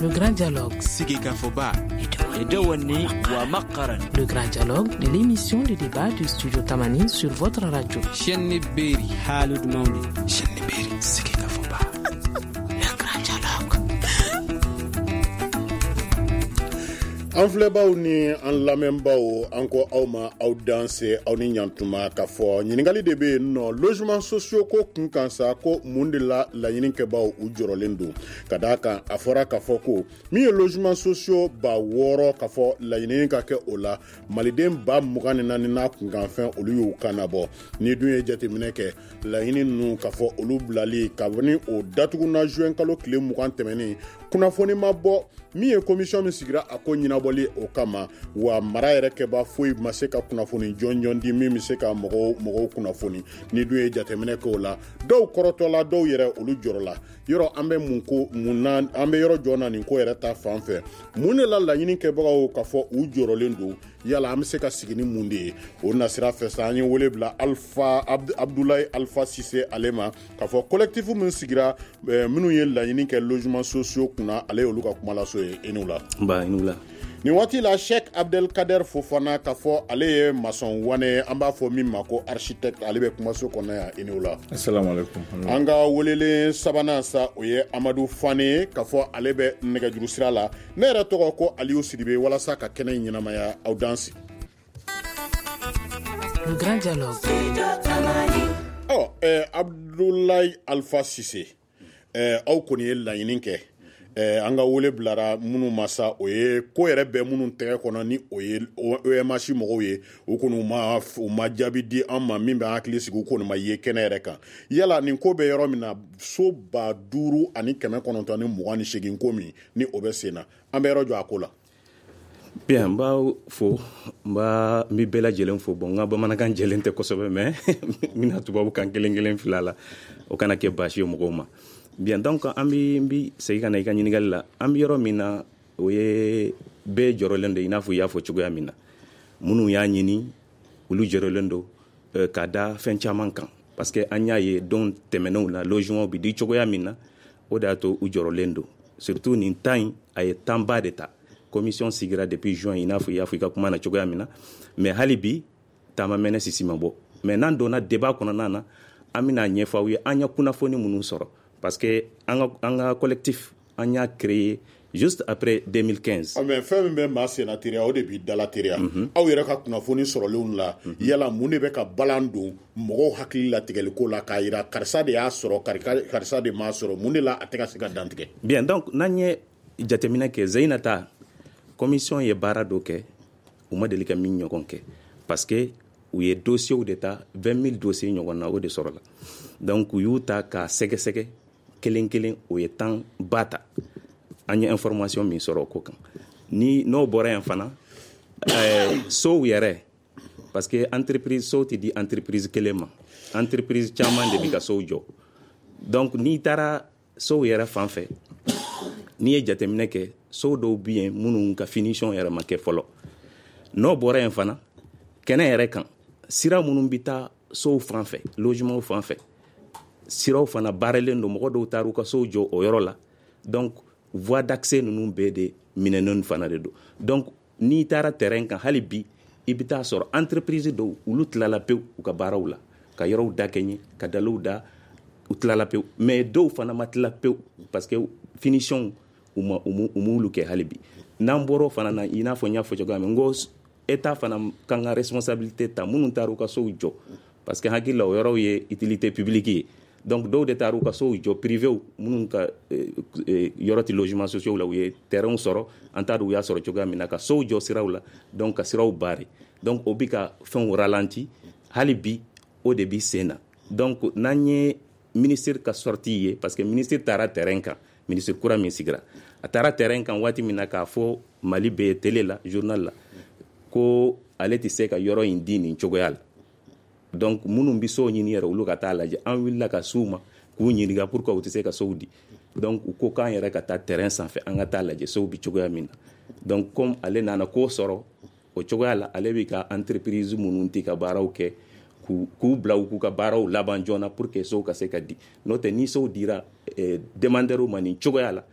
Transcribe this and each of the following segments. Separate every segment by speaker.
Speaker 1: Le Grand Dialogue.
Speaker 2: Sigikafɔba.
Speaker 1: Le Grand Dialogue de l'émission de débat du Studio Tamani sur votre radio.
Speaker 2: Chaîne Beri.
Speaker 3: Haalud Mawde.
Speaker 2: Chaîne Beri. Sigikafɔba.
Speaker 1: Le Grand Dialogue.
Speaker 4: An filɛbaw ni an lamɛnbaw, an ko aw ma aw danse, aw ni ɲantuma. K'a fɔ ɲininkali de bɛ yen nɔ, logement sociaux ko kun kan sa, ko mun de la laɲinikɛbaw u jɔrɔlen don? Ka d'a kan, a fɔra k'a fɔ ko min ye logement sociaux 6000, k'a fɔ laɲini ka kɛ o la, maliden 24,000 n'a kunkanfɛn, olu y'u kan nabɔ. Ni dun ye jateminɛ kɛ, laɲini ninnu, k'a fɔ olu bilali kabini o datuguna juin kalo tile 20 tɛmɛnen, kunnafoni ma bɔ min ye commission min sigira a ko ɲɛnabɔli o kama. Wa mara yɛrɛ kɛba foyi ma se ka kunnafoni jɔnjɔn di min bɛ se ka mɔgɔw kunnafoni. Ni dun ye jateminɛ kɛ o la, dɔw kɔrɔtɔla, dɔw yɛrɛ olu jɔrɔla. Yɔrɔ an bɛ mun ko mun na, an bɛ yɔrɔ jɔn na nin ko yɛrɛ ta fan fɛ? Mun de la laɲini kɛbagaw k'a fɔ u jɔrɔlen don? Yala an bɛ se ka sigi ni mun de ye o nasira fɛ sa? An ye wele bila Alpha Abdoulaye Alpha Cissé ale ma, k'a fɔ collectif min sigira, minnu ye laɲini kɛ logement sociaux kunna, ale y'olu ka kumalaso ye. I n'u la.
Speaker 5: Ba, i n'u la.
Speaker 4: Nin waati la, Sheikh Abdelkader Fofana, k'a fɔ ale ye maçon wane, an b'a fɔ min ma ko architecte, ale bɛ kumaso kɔnɔ yan. I n'u la.
Speaker 6: Assalamu alaikum.
Speaker 4: An ka welelen sabanan sa, o ye Amadu Fane ye, k'a fɔ ale bɛ nɛgɛjuru sira la. Ne yɛrɛ tɔgɔ ko Aliou Sidibe. Walasa ka kɛnɛ in ɲɛnamaya, aw danse.
Speaker 1: Le Grand Dialogue.
Speaker 4: Ɔ Abdoulaye Alpha Cissé, aw kɔni ye laɲini kɛ. An ka wele bilara minnu ma sa, o ye ko yɛrɛ bɛ minnu tɛgɛ kɔnɔ, ni o ye OMH mɔgɔw ye, u kɔni u ma jaabi di an ma min bɛ an hakili sigi. U kɔni ma ye kɛnɛ yɛrɛ kan. Yala nin ko bɛ yɔrɔ min na, so 5928 ko min ni o bɛ sen na, an bɛ yɔrɔ jɔ a ko la?
Speaker 5: Bien, n b'aw fo, n bɛ bɛɛ lajɛlen fo. Bon, n ka bamanankan jɛlen tɛ kosɛbɛ, mais n bɛna tubabu kan kelen kelen fila la, o kana kɛ baasi ye mɔgɔw ma. Bien, donc an bɛ n bi segin ka na i ka ɲininkali la. An bɛ yɔrɔ min na, o ye bɛɛ jɔrɔlen don, i n'a fɔ i y'a fɔ cogoya min na. Minnu y'a ɲini, olu jɔrɔlen don ka da fɛn caman kan, parce que an y'a ye don tɛmɛnenw la, logement bɛ di cogoya min na, o de y'a to u jɔrɔlen don. Surtout nin temps in, a ye temps ba de ta. Commission sigira depuis juin, i n'a fɔ i y'a fɔ i ka kuma na cogoya min na, mais hali bi taama mɛnɛ sisi ma bɔ. Mais n'an donna débat kɔnɔna na, an bɛna ɲɛfɔ aw ye an ye kunnafoni minnu sɔrɔ, parce que an ka collectif, an y'a créé juste après 2015.
Speaker 4: Ah, mais fɛn min bɛ maa senna teriya, o de b'i dala teriya. Aw yɛrɛ ka kunnafoni sɔrɔlenw la, yala mun de bɛ ka balan don mɔgɔw hakili latigɛliko la, k'a yira karisa de y'a sɔrɔ, karisa de m'a sɔrɔ? Mun de la a tɛ ka se ka dantigɛ?
Speaker 5: Bien, donc n'an ye jateminɛ kɛ, Zeyinata, commission ye baara dɔ kɛ u ma deli ka min ɲɔgɔn kɛ, parce que u ye dossiers de ta, 20 000 dossiers ɲɔgɔn na, o de sɔrɔla. Donc u y'u ta k'a sɛgɛsɛgɛ kelen kelen, o ye temps ba ta. An ye information min sɔrɔ o ko kan ni n'o bɔra yan fana, sow yɛrɛ, parce que entreprise sow tɛ di entreprise kelen ma, entreprise caman de bi ka sow jɔ. Donc n'i taara sow yɛrɛ fan fɛ, n'i ye jateminɛ kɛ, sow dɔw bɛ yen minnu ka finition yɛrɛ ma kɛ fɔlɔ. N'o bɔra yen fana, kɛnɛ yɛrɛ kan, sira minnu bɛ taa sow fan fɛ, logement fan fɛ, siraw fana baaralen don. Mɔgɔ dɔw taara u ka sow jɔ o yɔrɔ la, donc voie d'accès ninnu bɛɛ de minɛnen fana de don. Donc n'i taara terrain kan hali bi, i bɛ taa sɔrɔ entreprise dɔw, olu tilala pewu u ka baaraw la, ka yɔrɔw da kɛɲɛ, ka daliw da, u tilala pewu. Mais dɔw fana ma tila pewu, parce que finition u m'olu kɛ hali bi. N'an bɔra o fana na, i n'a fɔ n y'a fɔ cogoya min, n ko état fana kan ka responsabilité ta, minnu taara u ka sow jɔ, parce que hakili la o yɔrɔw ye utilité publique ye. Donc dɔw de taara u ka sow jɔ, privéw, minnu ka yɔrɔ tɛ logement sociaux la, u ye terrain sɔrɔ, an t'a dɔn u y'a sɔrɔ cogoya min na, ka sow jɔ siraw la, donc ka siraw barrer. Donc o bi ka fɛnw ralenti hali bi, o de bi sen na. Donc n'an ye ministre ka sortie ye, parce que ministre taara terrain kan, ministre kura min sigira, a taara terrain kan waati min na, k'a fɔ Mali bɛɛ télé la, journal la, ko ale tɛ se ka yɔrɔ in di nin cogoya la. Donc minnu bɛ sow ɲini yɛrɛ, olu ka taa lajɛ. An wulila ka s'u ma k'u ɲininka pourquoi u tɛ se ka sow di. Donc u ko k'an yɛrɛ ka taa terrain sanfɛ, an ka taa lajɛ sow bi cogoya min na. Donc comme ale nana ko sɔrɔ o cogoya la, ale bɛ ka entreprise minnu tɛ ka baaraw kɛ, k'u bila u k'u ka baaraw laban joona pour que sow ka se ka di. N'o tɛ, ni sow dira demandeur ma nin cogoya la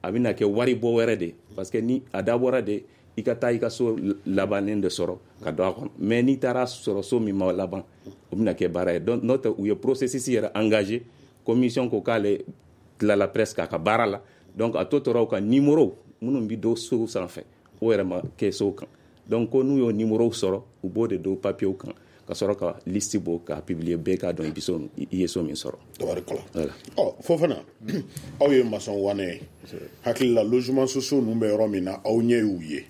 Speaker 5: A bɛna kɛ wari bɔ wɛrɛ de, parce que ni a dabɔra de i ka taa i ka so labannen de sɔrɔ ka don a kɔnɔ. Mais n'i taara sɔrɔ so min ma laban, o bɛna kɛ baara ye. Donc n'o tɛ, u ye processus yɛrɛ engagé. Commission ko k'ale tilala presque a ka baara la. Donc a tɔ tora u ka numéro minnu bɛ don sow sanfɛ, o yɛrɛ ma kɛ sow kan. Donc ko n'u y'o numéro sɔrɔ, u b'o de don papier kan ka sɔrɔ ka liste bɔ k'a publier, bɛɛ k'a dɔn i bɛ so, i ye so min sɔrɔ.
Speaker 4: Tabarikala.
Speaker 5: Voilà.
Speaker 4: Ɔ, Fofana, aw ye maçon wane ye. Hakili la, logement sociaux ninnu bɛ yɔrɔ min na, aw ɲɛ y'u ye.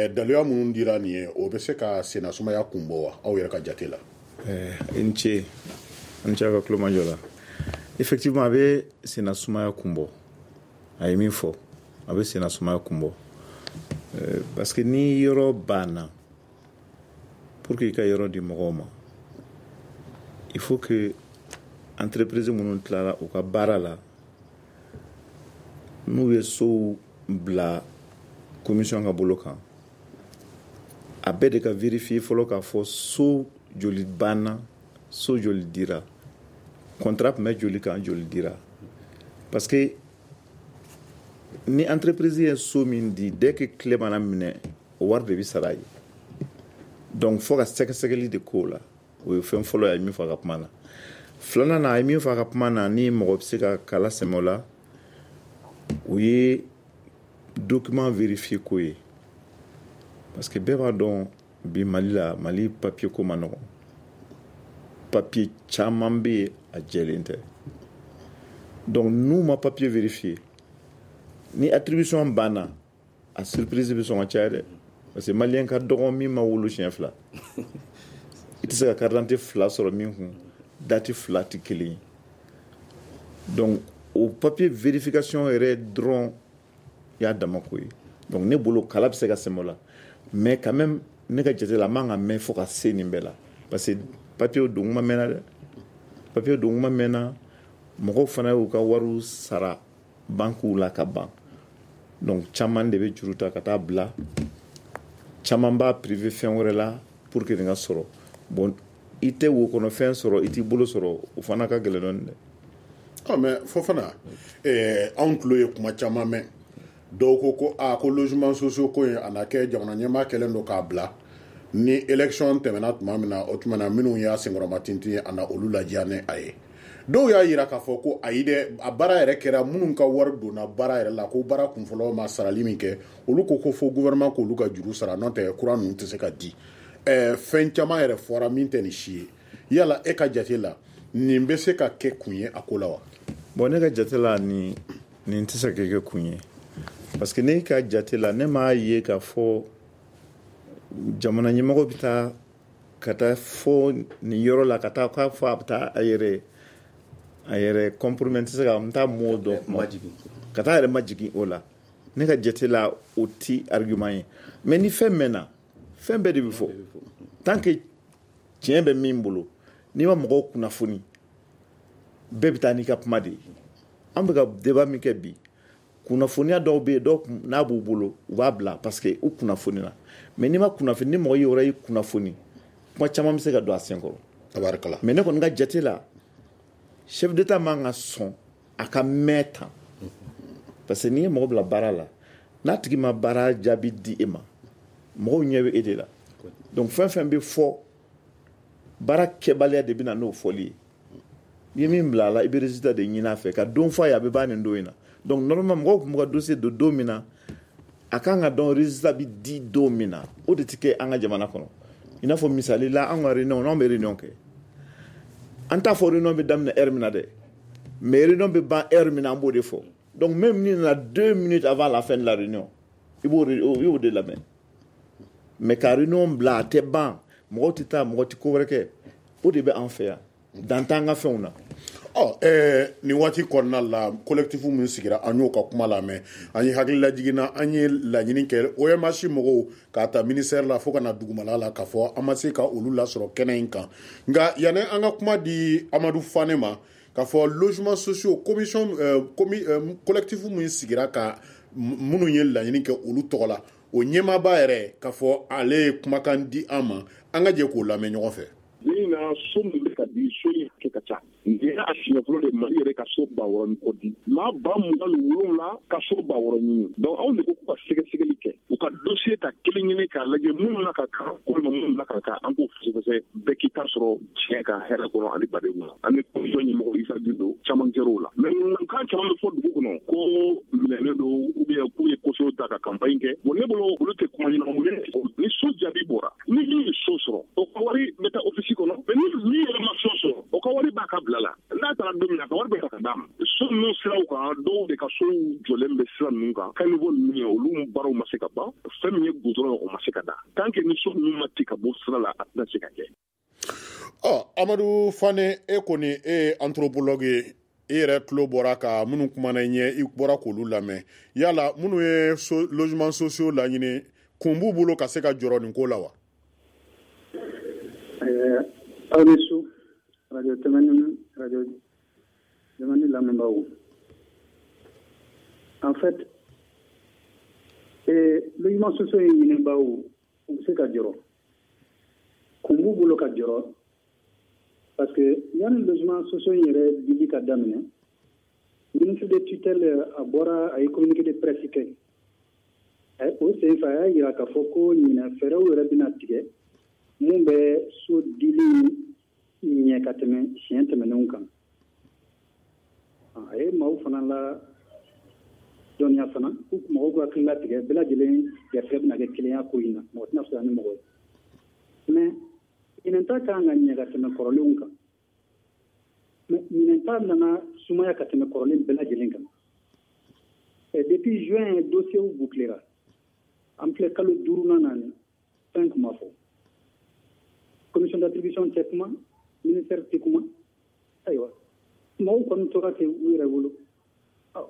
Speaker 4: Daluya minnu dira nin ye, o bɛ se ka senna sumaya kun bɔ wa, aw yɛrɛ ka jate la?
Speaker 3: I ni ce, an ni ce aw ka tulomajɔ la. Effectivement, a bɛ senna sumaya kun bɔ. A ye min fɔ, a bɛ senna sumaya kun bɔ, parce que ni yɔrɔ banna, pour que i ka yɔrɔ di mɔgɔw ma, il faut que entreprise minnu tilara u ka baara la, n'u ye sow bila commission ka bolo kan, a bɛɛ de ka vérifier fɔlɔ k'a fɔ so joli banna, so joli dira, contrat tun bɛ joli kan, joli dira. Parce que ni entreprise ye so min di, dès que clé mana minɛ, o wari de bɛ sara ye. Donc fo ka sɛgɛsɛgɛli de k'o la. O ye fɛn fɔlɔ ye, a ye min fɔ a ka kuma na. Filanan na, a ye min fɔ a ka kuma na, ni mɔgɔ bɛ se ka kala sɛmɛ o la, o ye document vérifier ko ye. Parce que bɛɛ b'a dɔn bi, Mali la, Mali papier ko ma nɔgɔn. Papier caman bɛ yen, a jɛlen tɛ. Donc n'u ma papier vérifier, ni attribution banna, a surprise bɛ sɔn ka caya dɛ. Parce que malien ka dɔgɔn min ma wolo siɲɛ fila, i tɛ se ka carte d'identité fila sɔrɔ min kun, date fila tɛ kelen ye. Donc o papier vérification yɛrɛ dɔrɔn y'a dama ko ye. Donc ne bolo, kala bɛ se ka sɛmɛ o la. Mais quand même, ne ka jate la, a man ka mɛn fo ka se nin bɛɛ la, parce que papier don kuma mɛnna dɛ, papier don kuma mɛnna. Mɔgɔw fana y'u ka wariw sara banques la ka ban. Donc caman de bɛ juru ta ka taa bila, caman b'a privé fɛn wɛrɛ la pour que nin ka sɔrɔ. Bon, i tɛ wo kɔnɔ fɛn sɔrɔ, i t'i bolo sɔrɔ, o fana ka gɛlɛn dɔɔnin dɛ.
Speaker 4: Ɔ, mais Fofana, anw tulo ye kuma caman mɛn. Dɔw ko ko aa, ko logement sociaux ko in, a na kɛ jamana ɲɛmaa kɛlen don k'a bila ni élection tɛmɛna tuma min na, o tuma na minnu y'a senkɔrɔma tintin, a na olu ladiya ni a ye. Dɔw y'a yira k'a fɔ ko ayi dɛ, a baara yɛrɛ kɛra minnu ka wari donna baara yɛrɛ la, ko baara kunfɔlɔ ma sarali min kɛ, olu ko ko fo gouvernement k'olu ka juru sara, n'o tɛ kura ninnu tɛ se ka di. Fɛn caman yɛrɛ fɔra min tɛ nin si ye. Yala e ka jate la, nin bɛ se ka kɛ kun ye a ko la wa?
Speaker 3: Bon, ne ka jate la, nin tɛ se ka kɛ kun ye. Parce que ne ka jate la, ne m'a ye k'a fɔ jamana ɲɛmɔgɔ bɛ taa ka taa fɔ nin yɔrɔ la, ka taa k'a fɔ a bɛ taa a yɛrɛ compromet, n tɛ se ka n t'a mot dɔn kuma, ka taa a yɛrɛ majigin o la. Ne ka jate la, o ti argument ye. Mais ni fɛn mɛnna, fɛn bɛɛ de bɛ fɔ. Tant que tiɲɛ bɛ min bolo, n'i ma mɔgɔw kunnafoni, bɛɛ bɛ taa n'i ka kuma de ye. An bɛ ka débat min kɛ bi, kunnafoniya dɔw bɛ yen, dɔw n'a b'u bolo, u b'a bila parce que u kunnafonina. Mais n'i ma kunnafoni, ni mɔgɔ yɔrɔ y'i kunnafoni, kuma caman bɛ se ka don a sen kɔrɔ.
Speaker 4: Tabarikala.
Speaker 3: Mais ne kɔni ka jate la, chef d'état man ka sɔn a ka mɛn tan. Parce que n'i ye mɔgɔ bila baara la, n'a tigi ma baara jaabi di e ma, mɔgɔw ɲɛ bɛ e de la. Donc fɛn fɛn bɛ fɔ, baara kɛbaliya de bɛ na n'o fɔli ye. I ye min bila a la, i bɛ résultat de ɲini a fɛ ka don fɔ a ye, a bɛ ban nin don in na. Donc normalement, mɔgɔw tun b'u ka dossier don don min na, a kan ka dɔn résultat bɛ di don min na. O de tɛ kɛ an ka jamana kɔnɔ. I n'a fɔ misali la, an ka réunion, n'anw bɛ réunion kɛ, an t'a fɔ réunion bɛ daminɛ heure min na dɛ, mais réunion bɛ ban heure min na, an b'o de fɔ. Donc même ni nana 2 minutes avant la fin de la réunion, i b'o de lamɛn. Mais ka réunion bila a tɛ ban, mɔgɔw tɛ taa, mɔgɔ tɛ ko wɛrɛ kɛ, o de bɛ an fɛ yan, dan t'an ka fɛnw na.
Speaker 4: Ɔ, nin waati kɔnɔna la, collectif min sigira, an y'o ka kuma lamɛn. An ye hakililajigin, an ye laɲini kɛ OMH mɔgɔw k'a ta ministère la fo ka na dugumala la, k'a fɔ an ma se ka olu lasɔrɔ kɛnɛ in kan. Nka yanni an ka kuma di Amadu Fane ma, k'a fɔ logement sociaux commission collectif min sigira ka minnu ye laɲini kɛ olu tɔgɔ la, o ɲɛmaaba yɛrɛ, k'a fɔ ale ye kumakan di an ma, an ka jɛ k'o lamɛn ɲɔgɔn fɛ.
Speaker 6: Ni na so min bɛ ka di, so in hakɛ ka ca. Nin y'a siɲɛ fɔlɔ de Mali yɛrɛ ka so 6000 ni kɔ di. Maa 27,000 ka so 6000 ɲini. Donc anw de ko k'u ka sɛgɛsɛgɛli kɛ, u ka dossier ta kelen kelen k'a lajɛ minnu na ka kan walima minnu na ka kan, an k'o fɛsɛfɛsɛ, bɛɛ k'i ta sɔrɔ tiɲɛ kan, hɛrɛ kɔnɔ ani baden kɔnɔ. An ni commission ɲɛmɔgɔ Isa Gindo, caman kɛra o la. Mais ŋunukan caman bɛ fɔ dugu kɔnɔ ko minɛnen don ou bien k'u ye caution ta ka campagne kɛ. Bon, ne bolo, olu tɛ kuma ɲɛnamaw ye. Ni so jaabi bɔra, ni min ye so sɔrɔ, o ka wari bɛ taa office kɔnɔ. Mais ni min yɛrɛ ma so sɔrɔ, o ka wari b'a ka bila la. N'a taara don min na, a ka wari bɛ ta ka d'a ma. So ninnu siraw kan, dɔw de ka sow jɔlen bɛ sira ninnu kan, caniveau ninnu ye, olu baaraw ma se ka ban. Fɛn min ye goudron ye, o ma se ka da. Tant que ni so ninnu ma ci ka bɔ sira la, a tɛna se ka kɛ.
Speaker 4: Ɔ, Amadu Fane, e kɔni, e ye anthropologue ye, e yɛrɛ tulo bɔra ka minnu kumana i ɲɛ, i bɔra k'olu lamɛn. Yala minnu ye so, logement sociaux laɲini, kun b'u bolo ka se ka jɔrɔ nin ko la wa?
Speaker 7: Aw ni su, radio Tɛmɛni, radio Tɛmɛni lamɛnbaaw. En fait, logement sociaux in ɲinibaaw, u bɛ se ka jɔrɔ, kun b'u bolo ka jɔrɔ, parce que yanni logement sociaux in yɛrɛ dili ka daminɛ, ministre de tutelle a bɔra, a ye communiqué de presse kɛ. O senfɛ, a y'a yira k'a fɔ ko ɲinɛ fɛɛrɛw yɛrɛ bɛna tigɛ mun bɛ so dili ɲɛ ka tɛmɛ siɲɛ tɛmɛnenw kan. A ye maaw fana la dɔnniya fana ko mɔgɔw ka hakili latigɛ, bɛɛ lajɛlen garisɛgɛ bɛna kɛ kelenya ko in na, mɔgɔ tɛna fisaya ni mɔgɔ ye. Mais ɲinɛn ta kan ka ɲɛ ka tɛmɛ kɔrɔlenw kan, mais ɲinɛn ta nana sumaya ka tɛmɛ kɔrɔlen bɛɛ lajɛlen kan. Depuis juin, dossier bouclera, an filɛ kalo duurunan na, ni fɛn kuma fɔ, commission d'attribution tɛ kuma, ministère tɛ kuma. Ayiwa, mɔgɔw kɔni tora ten u yɛrɛ bolo.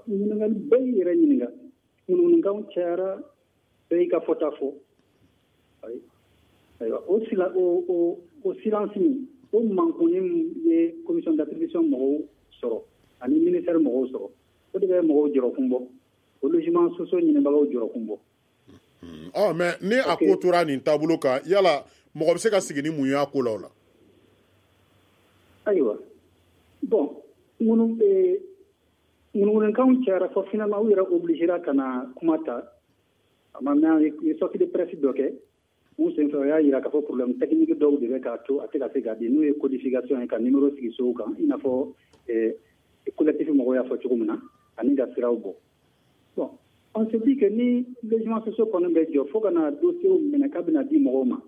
Speaker 7: Ɲininkali bɛɛ y'i yɛrɛ ɲininka, ŋunuŋunukanw cayara, bɛɛ y'i ka fɔta fɔ. Ayiwa, o sila o o o silence min, o mankunni min ye commission d'attribution mɔgɔw sɔrɔ ani ministère mɔgɔw sɔrɔ, o de bɛ mɔgɔw jɔrɔkun bɔ, o logement sociaux ɲinibagaw jɔrɔkun bɔ.
Speaker 4: Ɔ, mais ni a ko tora nin taabolo kan, yala mɔgɔ bɛ se ka sigi ni mun y'a ko la o la?
Speaker 7: Ayiwa, bon, ŋunu ŋunuŋunukanw cayara fɔ finalement u yɛrɛ obligera ka na kuma ta. A ma mɛn, ye sortie de presse dɔ kɛ mun senfɛ, o y'a yira k'a fɔ problème technique dɔw de bɛ k'a to a tɛ ka se ka di, n'o ye codification ye, ka numéro sigi sow kan, i n'a fɔ collectif mɔgɔw y'a fɔ cogo min na, ani ka siraw bɔ. Bon, on se dit que ni logement sociaux kɔni bɛ jɔ fo ka na dossier minɛ k'a bɛna di mɔgɔw ma,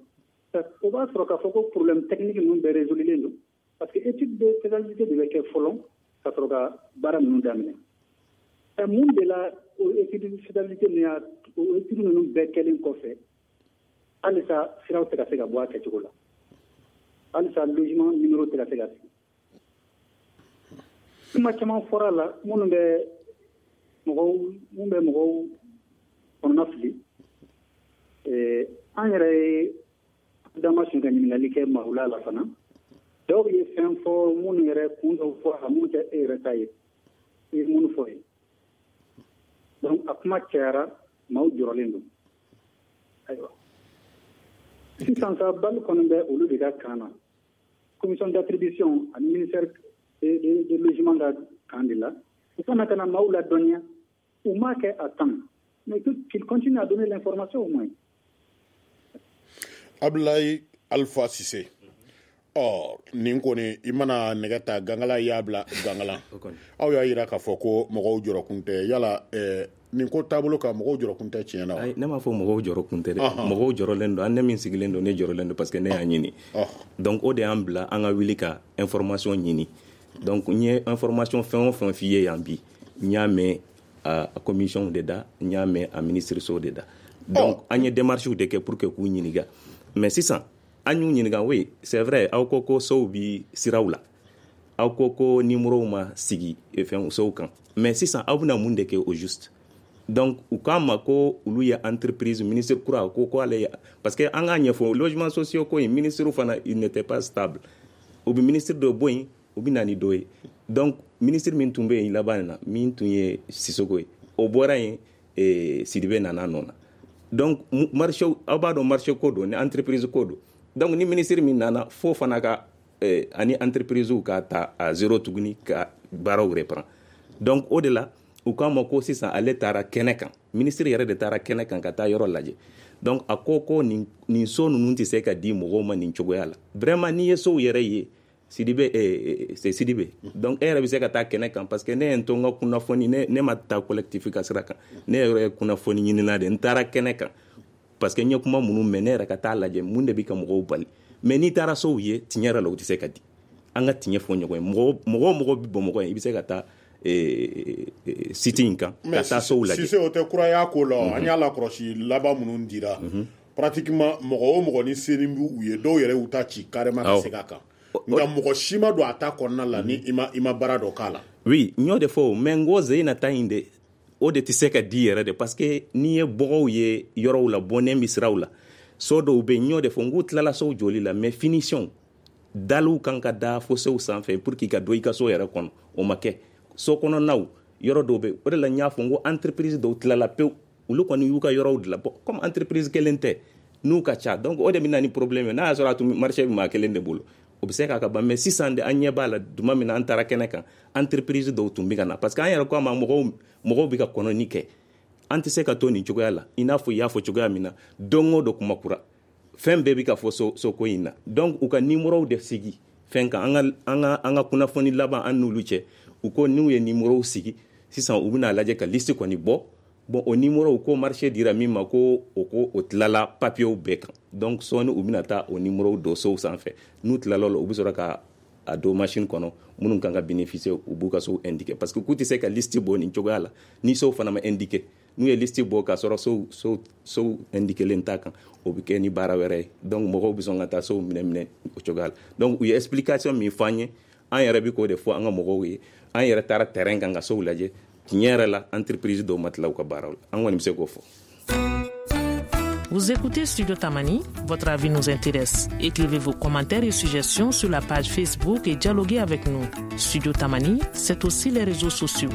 Speaker 7: o b'a sɔrɔ k'a fɔ ko problème technique ninnu bɛɛ résolulen don, parce que étude de faisabilité de bɛ kɛ fɔlɔ ka sɔrɔ ka baara ninnu daminɛ. Mun de la o étude de faisabilité ninnu y'a o étude ninnu bɛɛ kɛlen kɔfɛ, halisa siraw tɛ ka se ka bɔ a kɛcogo la, halisa logement numéro tɛ ka se ka sigi? Kuma caman fɔra a la minnu bɛ mɔgɔw kɔnɔna fili. An yɛrɛ ye dama sun ka ɲininkali kɛ maaw la fana, dɔw ye fɛn fɔ minnu yɛrɛ kun dɔw fɔ a la mun tɛ e yɛrɛ ta ye, i ye minnu fɔ ye. Donc a kuma cayara, maaw jɔrɔlen don. Ayiwa, sisan sa, bali kɔni bɛ olu de ka kan na, commission d'attribution ani ministère de logement ka kan de la. U kana ka na maaw ladɔnniya, u m'a kɛ à temps, mais qu'il continue à donner l'information au moins.
Speaker 4: Abulayi Alpha Sise, ɔ, nin kɔni, i mana nɛgɛ ta gangala, i y'a bila gangala. Aw y'a yira k'a fɔ ko mɔgɔw jɔrɔkun tɛ. Yala nin ko taabolo kan, mɔgɔw jɔrɔkun tɛ tiɲɛ na wa?
Speaker 5: Ne m'a fɔ mɔgɔw jɔrɔkun tɛ dɛ. Mɔgɔw jɔrɔlen don. An ne min sigilen don, ne jɔrɔlen don, parce que ne y'a ɲini. Donc o de y'an bila an ka wuli ka information ɲini. Donc n ye information fɛn o fɛn f'i ye yan bi, n y'a mɛn a commission de da, n y'a mɛn a ministre so de da. Donc an ye démarches de kɛ pour que k'u ɲininka. Mais sisan an y'u ɲininka, oui, c'est vrai, aw ko ko sow bi siraw la, aw ko ko numéro ma sigi fɛn sow kan, mais sisan aw bɛna mun de kɛ au juste? Donc u k'an ma ko olu ye entreprise, ministre kura ko ko ale ye, parce que an k'a ɲɛfɔ, logement sociaux ko in, ministre fana, il n'était pas stable. U bɛ ministre dɔ bɔ yen, u bɛ na ni dɔ ye. Donc ministre min tun bɛ yen laban na, min tun ye Sisoko ye, o bɔra yen, Sidibe nana nɔ na. Donc marché, aw b'a dɔn, marché ko don ni entreprise ko don. Donc ni ministre min nana fo fana ka ani entreprise ka ta à zéro tuguni ka baaraw reprend. Donc o de la u k'a ma ko sisan ale taara kɛnɛ kan, ministre yɛrɛ de taara kɛnɛ kan ka taa yɔrɔ lajɛ. Donc a ko ko nin so ninnu tɛ se ka di mɔgɔw ma nin cogoya la. Vraiment, n'i ye sow yɛrɛ ye, Sidibe, c'est Sidibe, donc e yɛrɛ bɛ se ka taa kɛnɛ kan, parce que ne ye n to n ka kunnafoni, ne ma taa collectif ka sira kan, ne yɛrɛ ye kunnafoni ɲinina de, n taara kɛnɛ kan parce que n ye kuma minnu mɛn, ne yɛrɛ ka taa lajɛ mun de bɛ ka mɔgɔw bali. Mais n'i taara sow ye, tiɲɛ yɛrɛ la, u tɛ se ka di. An ka tiɲɛ fɔ ɲɔgɔn ye, mɔgɔ o mɔgɔ bɛ Bamakɔ yan, i bɛ se ka taa site in kan ka taa sow lajɛ.
Speaker 4: Sise, o tɛ kuraya ko la, an y'a lakɔlɔsi laban minnu dira, pratiquement mɔgɔ o mɔgɔ ni seni b'u ye, dɔw yɛrɛ y'u ta ci carrément ka segin a kan, nka mɔgɔ si ma don a ta kɔnɔna la ni i ma baara dɔ k'a la.
Speaker 5: Oui, n y'o de fɔ, mais n ko Zeyina ta in de, o de tɛ se ka di yɛrɛ de, parce que n'i ye bɔgɔw ye yɔrɔw la, bɔnnen bɛ siraw la, so dɔw bɛ yen, n y'o de fɔ, n k'u tilala sow jɔli la, mais finition daliw kan ka da fo sow sanfɛ pour que ka don i ka so yɛrɛ kɔnɔ, o ma kɛ. So kɔnɔnaw yɔrɔ dɔw bɛ, o de la n y'a fɔ n ko entreprise dɔw tilala pewu, olu kɔni y'u ka yɔrɔw dilan. Bon, comme entreprise kelen tɛ, n'u ka ca, donc o de bɛ na ni problème ye. N'a y'a sɔrɔ a tun marché bɛ maa kelen de bolo, o bɛ se k'a ka ban. Mais sisan de, an ɲɛ b'a la, tuma min na an taara kɛnɛ kan, entreprise dɔw tun bɛ ka na, parce que an yɛrɛ ko a ma, mɔgɔw bɛ ka kɔnɔni kɛ, an tɛ se ka to nin cogoya la. I n'a fɔ i y'a fɔ cogoya min na, don o don kuma kura, fɛn bɛɛ bɛ ka fɔ soko in na. Donc u ka numéro de sigi fɛn kan. An ka kunnafoni laban an n'olu cɛ, u ko n'u ye numéro sigi sisan, u bɛna lajɛ ka liste kɔni bɔ. Bon, o numéro ko marché dira min ma, ko o ko o tilala papiers bɛɛ kan. Donc sɔɔni u bɛna taa o numéro don sow sanfɛ. N'u tilala o la, u bɛ sɔrɔ ka a don machine kɔnɔ, minnu kan ka bénéficier, u b'u ka sow indiquer, parce que k'u tɛ se ka liste bɔ nin cogoya la ni sow fana ma indiquer. N'u ye liste bɔ k'a sɔrɔ sow indiquer t'a kan, o bɛ kɛ ni baara wɛrɛ ye. Donc mɔgɔw bɛ sɔn ka taa sow minɛ minɛ o cogoya la. Donc u ye explication min fɔ an ye, an yɛrɛ bɛ k'o de fɔ an ka mɔgɔw ye. An yɛrɛ taara terrain kan ka sow lajɛ, tiɲɛ yɛrɛ la, entreprise dɔw ma tila u ka baaraw la, an kɔni bɛ se k'o fɔ.
Speaker 1: Vous écoutez Studio Tamani, votre avis nous intéresse. Écrivez vos commentaires et suggestions sur la page Facebook et dialoguez avec nous. Studio Tamani, c'est aussi les réseaux sociaux.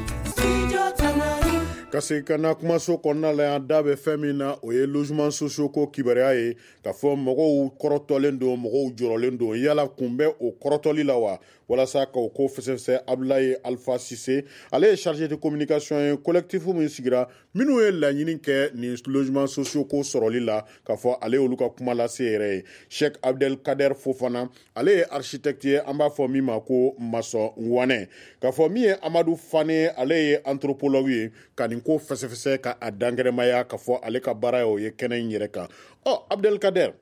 Speaker 4: Ka segin ka na kumaso kɔnɔna la yan, da bɛ fɛn min na, o ye logement sociaux ko kibaruya ye, k'a fɔ mɔgɔw kɔrɔtɔlen don, mɔgɔw jɔrɔlen don. Yala kun bɛ o kɔrɔtɔli la wa? Walasa k'o ko fɛsɛfɛsɛ, Abulaye Alpha Sise, ale ye chargé de communication ye collectif min sigira, minnu ye laɲini kɛ nin logement sociaux ko sɔrɔli la, k'a fɔ ale y'olu ka kuma lase yɛrɛ ye. Sheikh Abdel Kader Fofana, ale ye architecte ye, an b'a fɔ min ma ko maçon Wane, k'a fɔ min ye Amadu Fane, ale ye anthropologue ye, ka nin ko fɛsɛfɛsɛ ka a dankɛrɛmaya, k'a fɔ ale ka baara ye o ye kɛnɛ in yɛrɛ kan. Ɔ Abdel Kader,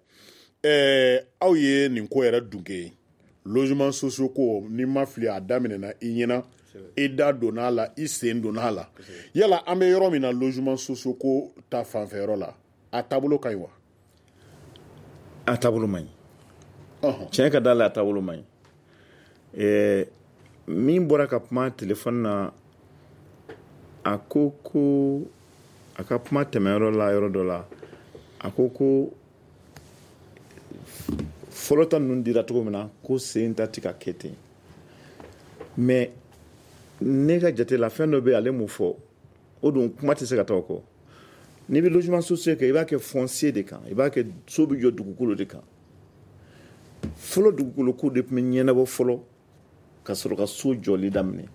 Speaker 4: aw ye nin ko yɛrɛ dunke ye, logement sociaux ko, n'i ma fili a daminɛna i ɲɛna, i da donna a la, i sen donna a la. Yala an bɛ yɔrɔ min na, logement sociaux ko ta fanfɛyɔrɔ la, a taabolo ka ɲi wa?
Speaker 3: A taabolo man ɲi, tiɲɛ ka da la, a taabolo man ɲi. Min bɔra ka kuma telefɔni na, a ko ko a ka kuma tɛmɛyɔrɔ la, yɔrɔ dɔ la, a ko ko fɔlɔ ta ninnu dira cogo min na, ko sen ta ti ka kɛ ten. Mais ne ka jate la, fɛn dɔ bɛ yen, ale m'o fɔ, o dun kuma tɛ se ka taa o kɔ. N'i bɛ logement social kɛ, i b'a kɛ foncier de kan, i b'a kɛ so bɛ jɔ dugukolo de kan. Fɔlɔ, dugukolo ko de tun bɛ ɲɛnabɔ fɔlɔ ka sɔrɔ ka so jɔli daminɛ.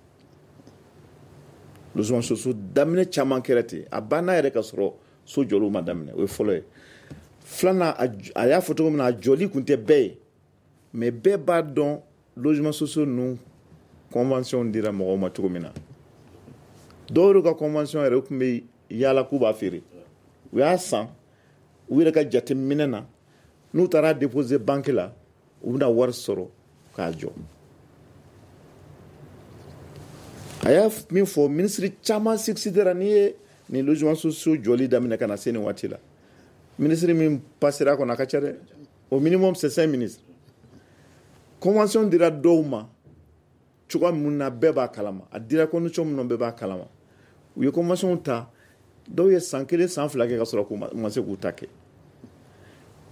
Speaker 3: Logement social daminɛ caman kɛra ten, a banna yɛrɛ ka sɔrɔ so jɔliw ma daminɛ. O ye fɔlɔ ye. Filanan, a y'a fɔ cogo min na, a jɔli tun tɛ bɛɛ ye, mais bɛɛ b'a dɔn logement social ninnu convention dira mɔgɔw ma cogo min na. Dɔw yɛrɛ ka convention yɛrɛ, u tun bɛ yaala k'u b'a feere, u y'a san u yɛrɛ ka jateminɛ na, n'u taara déposer banque la, u bɛna wari sɔrɔ k'a jɔ. A y'a min fɔ, minisiri caman succédera. N'i ye nin logement sociaux jɔli daminɛ ka na se nin waati la, minisiri min passera kɔnɔ, a ka ca dɛ, au minimum c'est 5 ministres. Convention dira dɔw ma cogoya mun na, bɛɛ b'a kalama. A dira condition min na, bɛɛ b'a kalama. U ye convention ta, dɔw ye san 1, san 2 kɛ ka sɔrɔ k'u ma se k'u ta kɛ.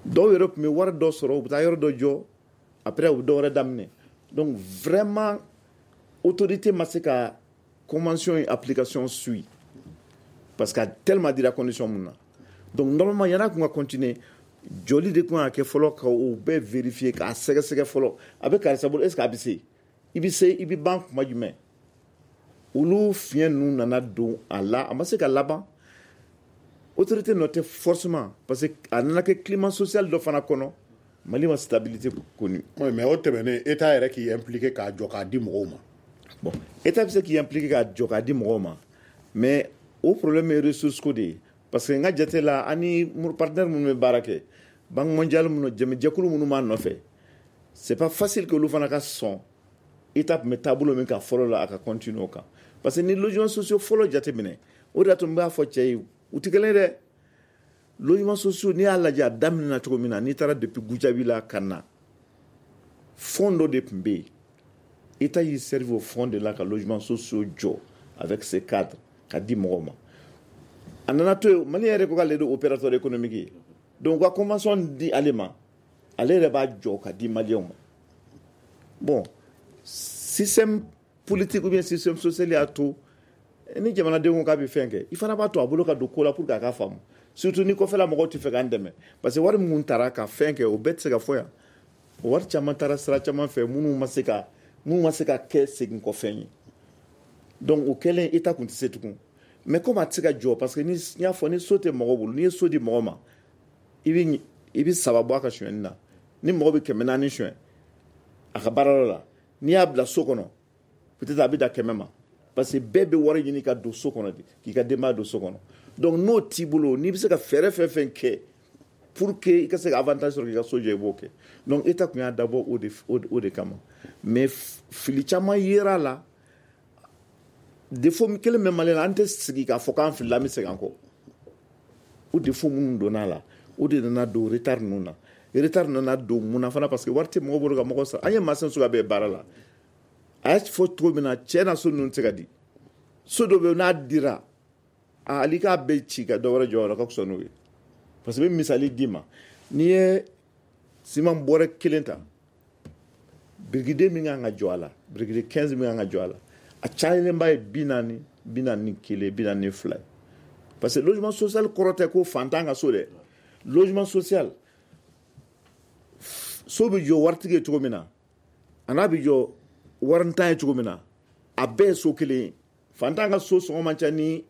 Speaker 3: Dɔw yɛrɛ tun bɛ wari dɔ sɔrɔ, u bɛ taa yɔrɔ dɔ jɔ, après u bɛ dɔ wɛrɛ daminɛ. Donc vraiment, autorité ma se ka convention in application suit, parce que a tellement dira condition mun na. Donc normalement, yan'a kun ka continuer, Jɔli de tun ka kɛ fɔlɔ ka o bɛɛ vérifier, k'a sɛgɛsɛgɛ fɔlɔ. A bɛ karisa bolo, est ce que a bɛ se? I bɛ se, i bɛ ban kuma jumɛn? Olu fiɲɛ ninnu nana don a la, a ma se ka laban. Autorité nɔ tɛ forcément, parce que a nana kɛ climat social dɔ fana kɔnɔ, Mali ma stabilité connue.
Speaker 4: Oui, mais o tɛmɛnen, État yɛrɛ k'i impliqué k'a jɔ k'a di mɔgɔw ma.
Speaker 3: Bon, État bɛ se k'i impliqué k'a jɔ k'a di mɔgɔw ma, mais o problème ye ressource ko de ye, parce que n ka jate la, ani partenaire minnu bɛ baara kɛ, Banque mondiale minnu, jɛkulu minnu b'a nɔfɛ, c'est pas facile que olu fana ka sɔn État tun bɛ taabolo min kan fɔlɔ la, a ka continuer o kan. Parce que ni logement sociaux fɔlɔ jateminɛ, o de y'a to n b'a fɔ cɛ ye, u tɛ kelen ye dɛ. Logement sociaux, n'i y'a lajɛ a daminɛna cogo min na, n'i taara depuis Gujabi la ka na, fonds dɔ de tun bɛ yen. État y'i servi au fonds de la ka logement sociaux jɔ avec ses cadres ka di mɔgɔw ma. A nana to yen, Mali yɛrɛ ko k'ale de opérateur économique ye, donc u ka convention di ale ma, ale yɛrɛ b'a jɔ ka di Maliyɛnw ma. Bon, système politique ou bien système social y'a to ni jamanadenw ko k'a bɛ fɛn kɛ, i fana b'a to a bolo ka don ko la pour que a ka faamu, surtout ni kɔfɛla mɔgɔw tɛ fɛ k'an dɛmɛ, parce que wari minnu taara ka fɛn kɛ, o bɛɛ tɛ se ka fɔ yan. O wari caman taara sira caman fɛ minnu ma se ka kɛ segin kɔfɛn ye. Donc o kɛlen, État tun tɛ se tugun, mais comme a tɛ se ka jɔ, parce que ni n y'a fɔ, ni so tɛ mɔgɔ bolo, n'i ye so di mɔgɔ ma, i bɛ saba bɔ a ka sonyɛni na. Ni mɔgɔ bɛ 400 sonyɛ a ka baarayɔrɔ la, n'i y'a bila so kɔnɔ, peut-être a bɛ da 100 ma, parce que bɛɛ bɛ wari ɲini ka don so kɔnɔ de, k'i ka denbaya don so kɔnɔ. Donc n'o t'i bolo, n'i bɛ se ka fɛɛrɛ fɛn fɛn kɛ pour que i ka se ka avantage sɔrɔ k'i ka so jɔ, i b'o kɛ. Donc État tun y'a dabɔ o de kama, mais fili caman yera a la. Défaut kelen bɛ Mali la, an tɛ sigi k'a fɔ k'an filila, an bɛ segin an kɔ. O défaut minnu donna a la, o de nana don retard ninnu na. Retard nana don mun na fana? Parce que wari tɛ mɔgɔ bolo ka mɔgɔ sara. An ye maçon suguya bɛɛ baara la. A y'a fɔ cogo min na, cɛ na, so ninnu tɛ se ka di. So dɔ bɛ yen, n'a dira, hali k'a bɛɛ ci ka dɔ wɛrɛ jɔ o ka fisa n'o ye, parce que n bɛ misali d'i ma. N'i ye siman bɔrɛ kelen ta, birikiden min kan ka jɔ a la, birikiden 15 min kan ka jɔ a la, a cayalenba ye 40, 41, 42 ye. Parce que logement social kɔrɔ tɛ ko fantan ka so dɛ. Logement social, so bɛ jɔ waritigi ye cogo min na, a n'a bɛ jɔ warintan ye cogo min na, a bɛɛ ye so kelen ye. Fantan ka so sɔngɔ man ca ni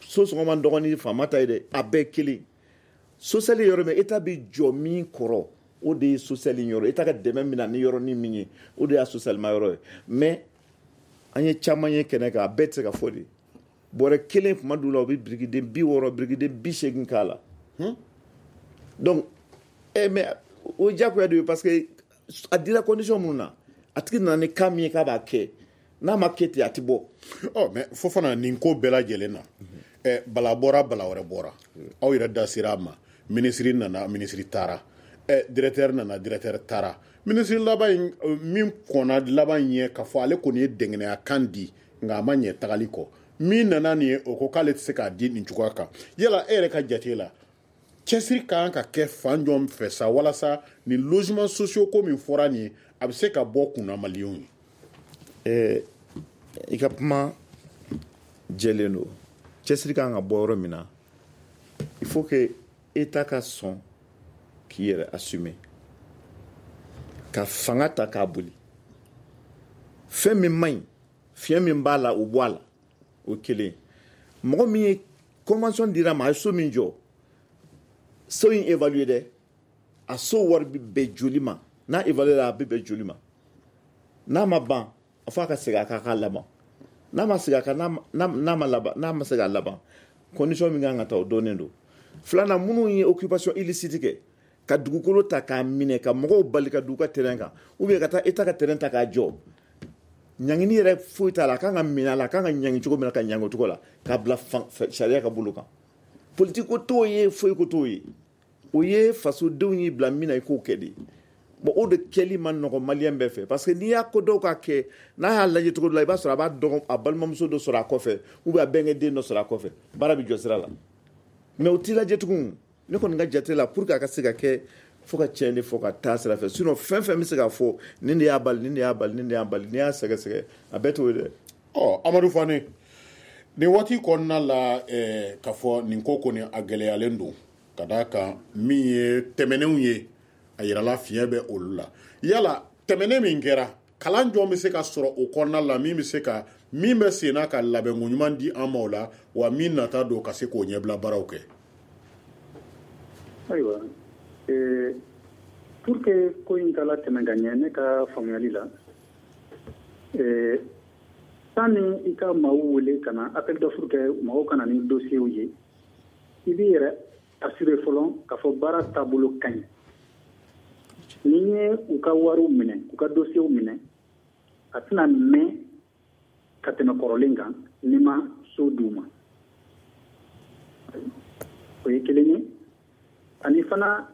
Speaker 3: so sɔngɔ man dɔgɔ ni faama ta ye dɛ, a bɛɛ kelen. Social ye yɔrɔ min, État bɛ jɔ min kɔrɔ, o de ye social yɔrɔ. État ka dɛmɛ min na ni yɔrɔnin min ye, o de y'a social ma yɔrɔ ye. Mais an ye caman ye kɛnɛ kan, a bɛɛ tɛ se ka fɔ de. Bɔrɛ kelen, kuma dɔw la, u bɛ birikiden 60, birikiden 80 k'a la. Donc mais o ye diyagoya de ye, parce que a dira condition minnu na, a tigi nana ni cas min ye k'a b'a kɛ, n'a ma kɛ ten, a ti bɔ.
Speaker 4: Ɔ, mais Fofana, nin ko bɛɛ lajɛlen na, bala bɔra, bala wɛrɛ bɔra, aw yɛrɛ da sera a ma. Minisiri nana, minisiri taara, directeur nana, directeur taara. Minisiri laban in min kɔnna laban ɲɛ k'a fɔ ale kɔni ye dɛngɛnɛya kan di, nka a ma ɲɛ tagali kɔ. Min nana nin ye, o ko k'ale tɛ se k'a di nin cogoya kan. Yala e yɛrɛ ka jate la, cɛsiri ka kan ka kɛ fan jɔn fɛ sa, walasa nin logement sociaux ko min fɔra nin ye, a bɛ se ka bɔ kunna Maliyɛnw ye?
Speaker 3: I ka kuma jɛlen don. Cɛsiri kan ka bɔ yɔrɔ min na, il faut que État ka sɔn k'i yɛrɛ assumer, ka fanga ta k'a boli. Fɛn min man ɲi, fiɲɛ min b'a la, o bɔ a la. O kelen, mɔgɔ min ye convention dira ma, a ye so min jɔ, so in évaluer dɛ, a so wari bɛ bɛn joli ma? N'a évaluer la, a bɛ bɛn joli ma? N'a ma ban, a fɔ a ka segin a kan k'a laban. N'a ma segin a kan, n'a ma laban, n'a ma se k'a laban, condition min kan ka ta, o dɔnnen don. Filanan, minnu ye occupation illicite kɛ, ka dugukolo ta k'a minɛ, ka mɔgɔw bali ka don u ka terrain kan, ou bien ka taa État ka terrain ta k'a jɔ, ɲangini yɛrɛ foyi t'a la. A kan ka minɛ a la, a kan ka ɲangi cogo min na, ka ɲangi o cogo la, k'a bila sariya ka bolo kan. Politique ko t'o ye, foyi ko t'o ye. O ye fasodenw y'i bila min na, i k'o kɛ de. Bon, o de kɛli ma nɔgɔn Maliyɛn bɛɛ fɛ, parce que n'i y'a ko dɔw ka kɛ, n'a y'a lajɛ cogo dɔ la, i b'a sɔrɔ a b'a dɔgɔ, a balimamuso dɔ sɔrɔ a kɔfɛ, ou bien a bɛnkɛ den dɔ sɔrɔ a kɔfɛ, baara bɛ jɔ sira la. Mais o t'i lajɛ tugun. Ne kɔni ka jate la, pour que a ka se ka kɛ, fo ka tiɲɛ de fɔ ka taa sira fɛ. Sinon fɛn fɛn bɛ se k'a fɔ nin de y'a bali, nin de y'a bali, nin de y'a bali, n'i y'a sɛgɛsɛgɛ, a bɛɛ t'o ye dɛ.
Speaker 4: Ɔ, Amadu Fane, nin waati kɔnɔna la, k'a fɔ nin ko kɔni a gɛlɛyalen don. Ka d'a kan min ye tɛmɛnenw ye, a yirala fiɲɛ bɛ olu la. Yala tɛmɛnen min kɛra, kalan jɔn bɛ se ka sɔrɔ o kɔnɔna la, min bɛ se ka min bɛ sen na ka labɛnko ɲuman di an ma o la, wa min nata don ka se k'o ɲɛbila baaraw kɛ?
Speaker 7: Ayiwa, pour que ko in ka latɛmɛ ka ɲɛ, ne ka faamuyali la, sani i ka maaw wele ka na appel d'offre kɛ, maaw ka na ni dossier ye, i b'i yɛrɛ assurer fɔlɔ k'a fɔ baara taabolo ka ɲi. Ni ye u ka wariw minɛ, u ka dossier minɛ, a tɛna mɛn ka tɛmɛ kɔrɔlen kan n'i ma so d'u ma. O ye kelen ye. Ani fana,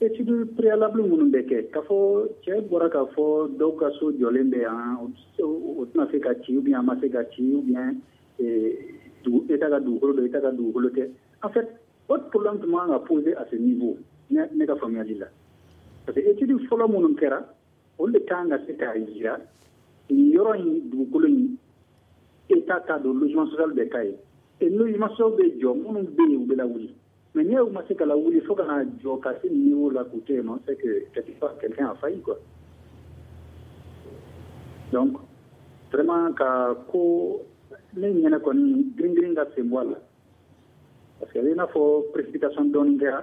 Speaker 7: étude préalable minnu bɛ kɛ, k'a fɔ cɛ bɔra k'a fɔ dɔw ka so jɔlen bɛ yan, o tɛna se ka ci, ou bien a ma se ka ci, ou bien État ka dugukolo don, État ka dugukolo tɛ. En fait, autre problème tun man kan ka poser à ce niveau, ne ka faamuyali la, parce que étude fɔlɔ minnu kɛra, olu de kan ka se k'a jira nin yɔrɔ in, dugukolo in, État t'a don, logement social bɛ k'a ye, et logement social bɛ jɔ, minnu bɛ yen, u bɛ lawuli. Mais n'i y'u ma se ka lawuli fo ka na jɔ ka se niveau la k'u to yen nɔ, c'est que quelque part quelqu'un a failli, quoi. Donc vraiment, ka ko ne ɲɛnɛ kɔni, girin girin ka sen bɔ a la, parce que a bɛ i n'a fɔ précipitation dɔɔni kɛra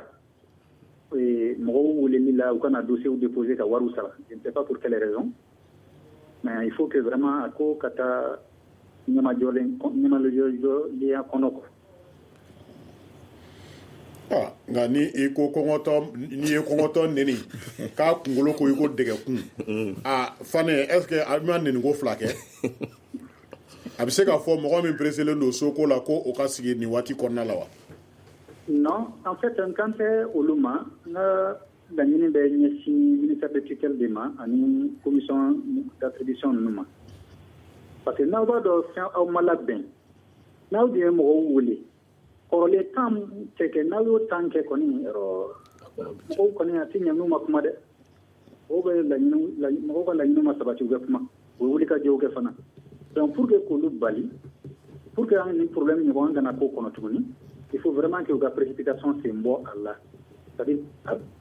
Speaker 7: mɔgɔw weleli la, u kana dossier déposer ka wariw sara. Je ne sais pas pour quelle raison, mais il faut que vraiment a ko ka taa ɲɛmajɔlen ɲɛmajɔlenya kɔnɔ, quoi.
Speaker 4: Ah, nka ni i ko kɔngɔtɔ, n'i ye kɔngɔtɔ neni k'a kunkolo ko i ko dɛgɛkun, a Fane, est ce que a ma neniko fila kɛ? A bɛ se k'a fɔ mɔgɔ min pressélen don soko la ko o ka sigi nin waati kɔnɔna la wa?
Speaker 7: Non, en fait, n kan tɛ olu ma. N ka laɲini bɛ ɲɛsin ministère de tutelle de ma ani commission d'attribution ninnu ma, parce que n'aw b'a dɔn fɛn aw ma labɛn, n'aw dun ye mɔgɔw wele kɔrɔlen tan tɛ kɛ, n'aw y'o tan kɛ kɔni, yɔrɔ mɔgɔw kɔni a tɛ ɲɛ n'u ma kuma dɛ. Mɔgɔw bɛ laɲini, mɔgɔw ka laɲini ma sabati, u bɛ kuma, u bɛ wuli ka jɔw kɛ fana. Donc pour que k'olu bali, pour que an ni problème ɲɔgɔn kana k'o kɔnɔ tuguni, il faut vraiment que u ka précipitation sen bɔ a la, c'est à dire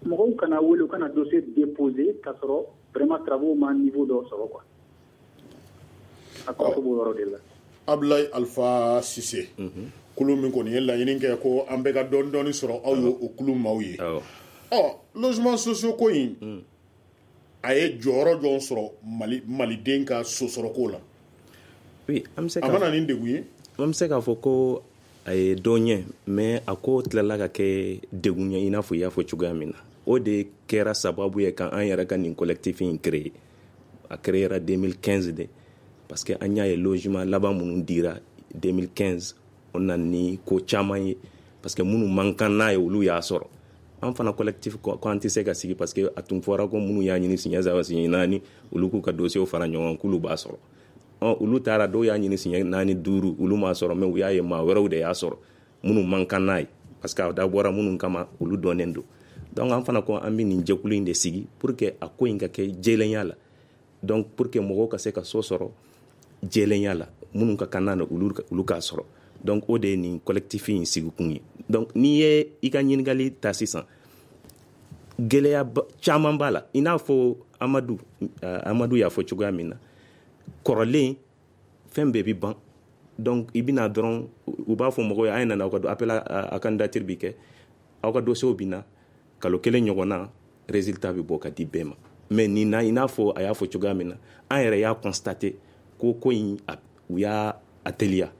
Speaker 7: mɔgɔw kana wele, u kana dossier déposer k'a sɔrɔ vraiment travaux ma niveau dɔ sɔrɔ, quoi. A kɔrɔfɔ b'o yɔrɔ de la.
Speaker 4: Abdoulaye Alpha Cissé, kulu min kɔni ye laɲini kɛ ko an bɛɛ ka dɔɔni dɔɔni sɔrɔ, aw ye o kulu maaw ye. Ɔ, logement sociaux ko in, a ye jɔyɔrɔ jɔn sɔrɔ Mali maliden ka so sɔrɔko la?
Speaker 5: Oui, an bɛ se
Speaker 4: a ma na ni degun ye?
Speaker 5: An bɛ se k'a fɔ ko a ye dɔ ɲɛ, mais a ko tilala ka kɛ degun ye, i n'a fɔ i y'a fɔ cogoya min na. O de kɛra sababu ye ka an yɛrɛ ka nin collectif in créer. A créera 2015 de, parce que an y'a ye logement laban minnu dira 2015, o nana ni ko caman ye, parce que minnu man kan n'a ye, olu y'a sɔrɔ. An fana collectif ko an tɛ se ka sigi, parce que a tun fɔra ko minnu y'a ɲini siɲɛ saba, siɲɛ naani, olu k'u ka dossier fara ɲɔgɔn kan k'olu b'a sɔrɔ. Ɔ, olu taara, dɔw y'a ɲini siɲɛ naani, duuru, olu m'a sɔrɔ, mais u y'a ye maa wɛrɛw de y'a sɔrɔ minnu man kan n'a ye, parce que a dabɔra minnu kama, olu dɔnnen don. Donc an fana ko an bɛ nin jɛkulu in de sigi pour que a ko in ka kɛ jɛlenya la, donc pour que mɔgɔw ka se ka so sɔrɔ jɛlenya la, minnu ka kan n'a olu k'a sɔrɔ. Donc o de ye nin collectif in sigikun ye. Donc n'i ye i ka ɲininkali ta sisan, gɛlɛya caman b'a la, i n'a fɔ Amadu y'a fɔ cogoya min na, kɔrɔlen fɛn bɛɛ bi ban. Donc i bɛna dɔrɔn, u b'a fɔ mɔgɔw ye a ye nana aw ka appel à candidature bi kɛ, aw ka dossier bi na, kalo kelen ɲɔgɔn na, résultat bɛ bɔ ka di bɛɛ ma. Mais nin na, i n'a fɔ a y'a fɔ cogoya min na, an yɛrɛ y'a constater ko in u y'a a teliya,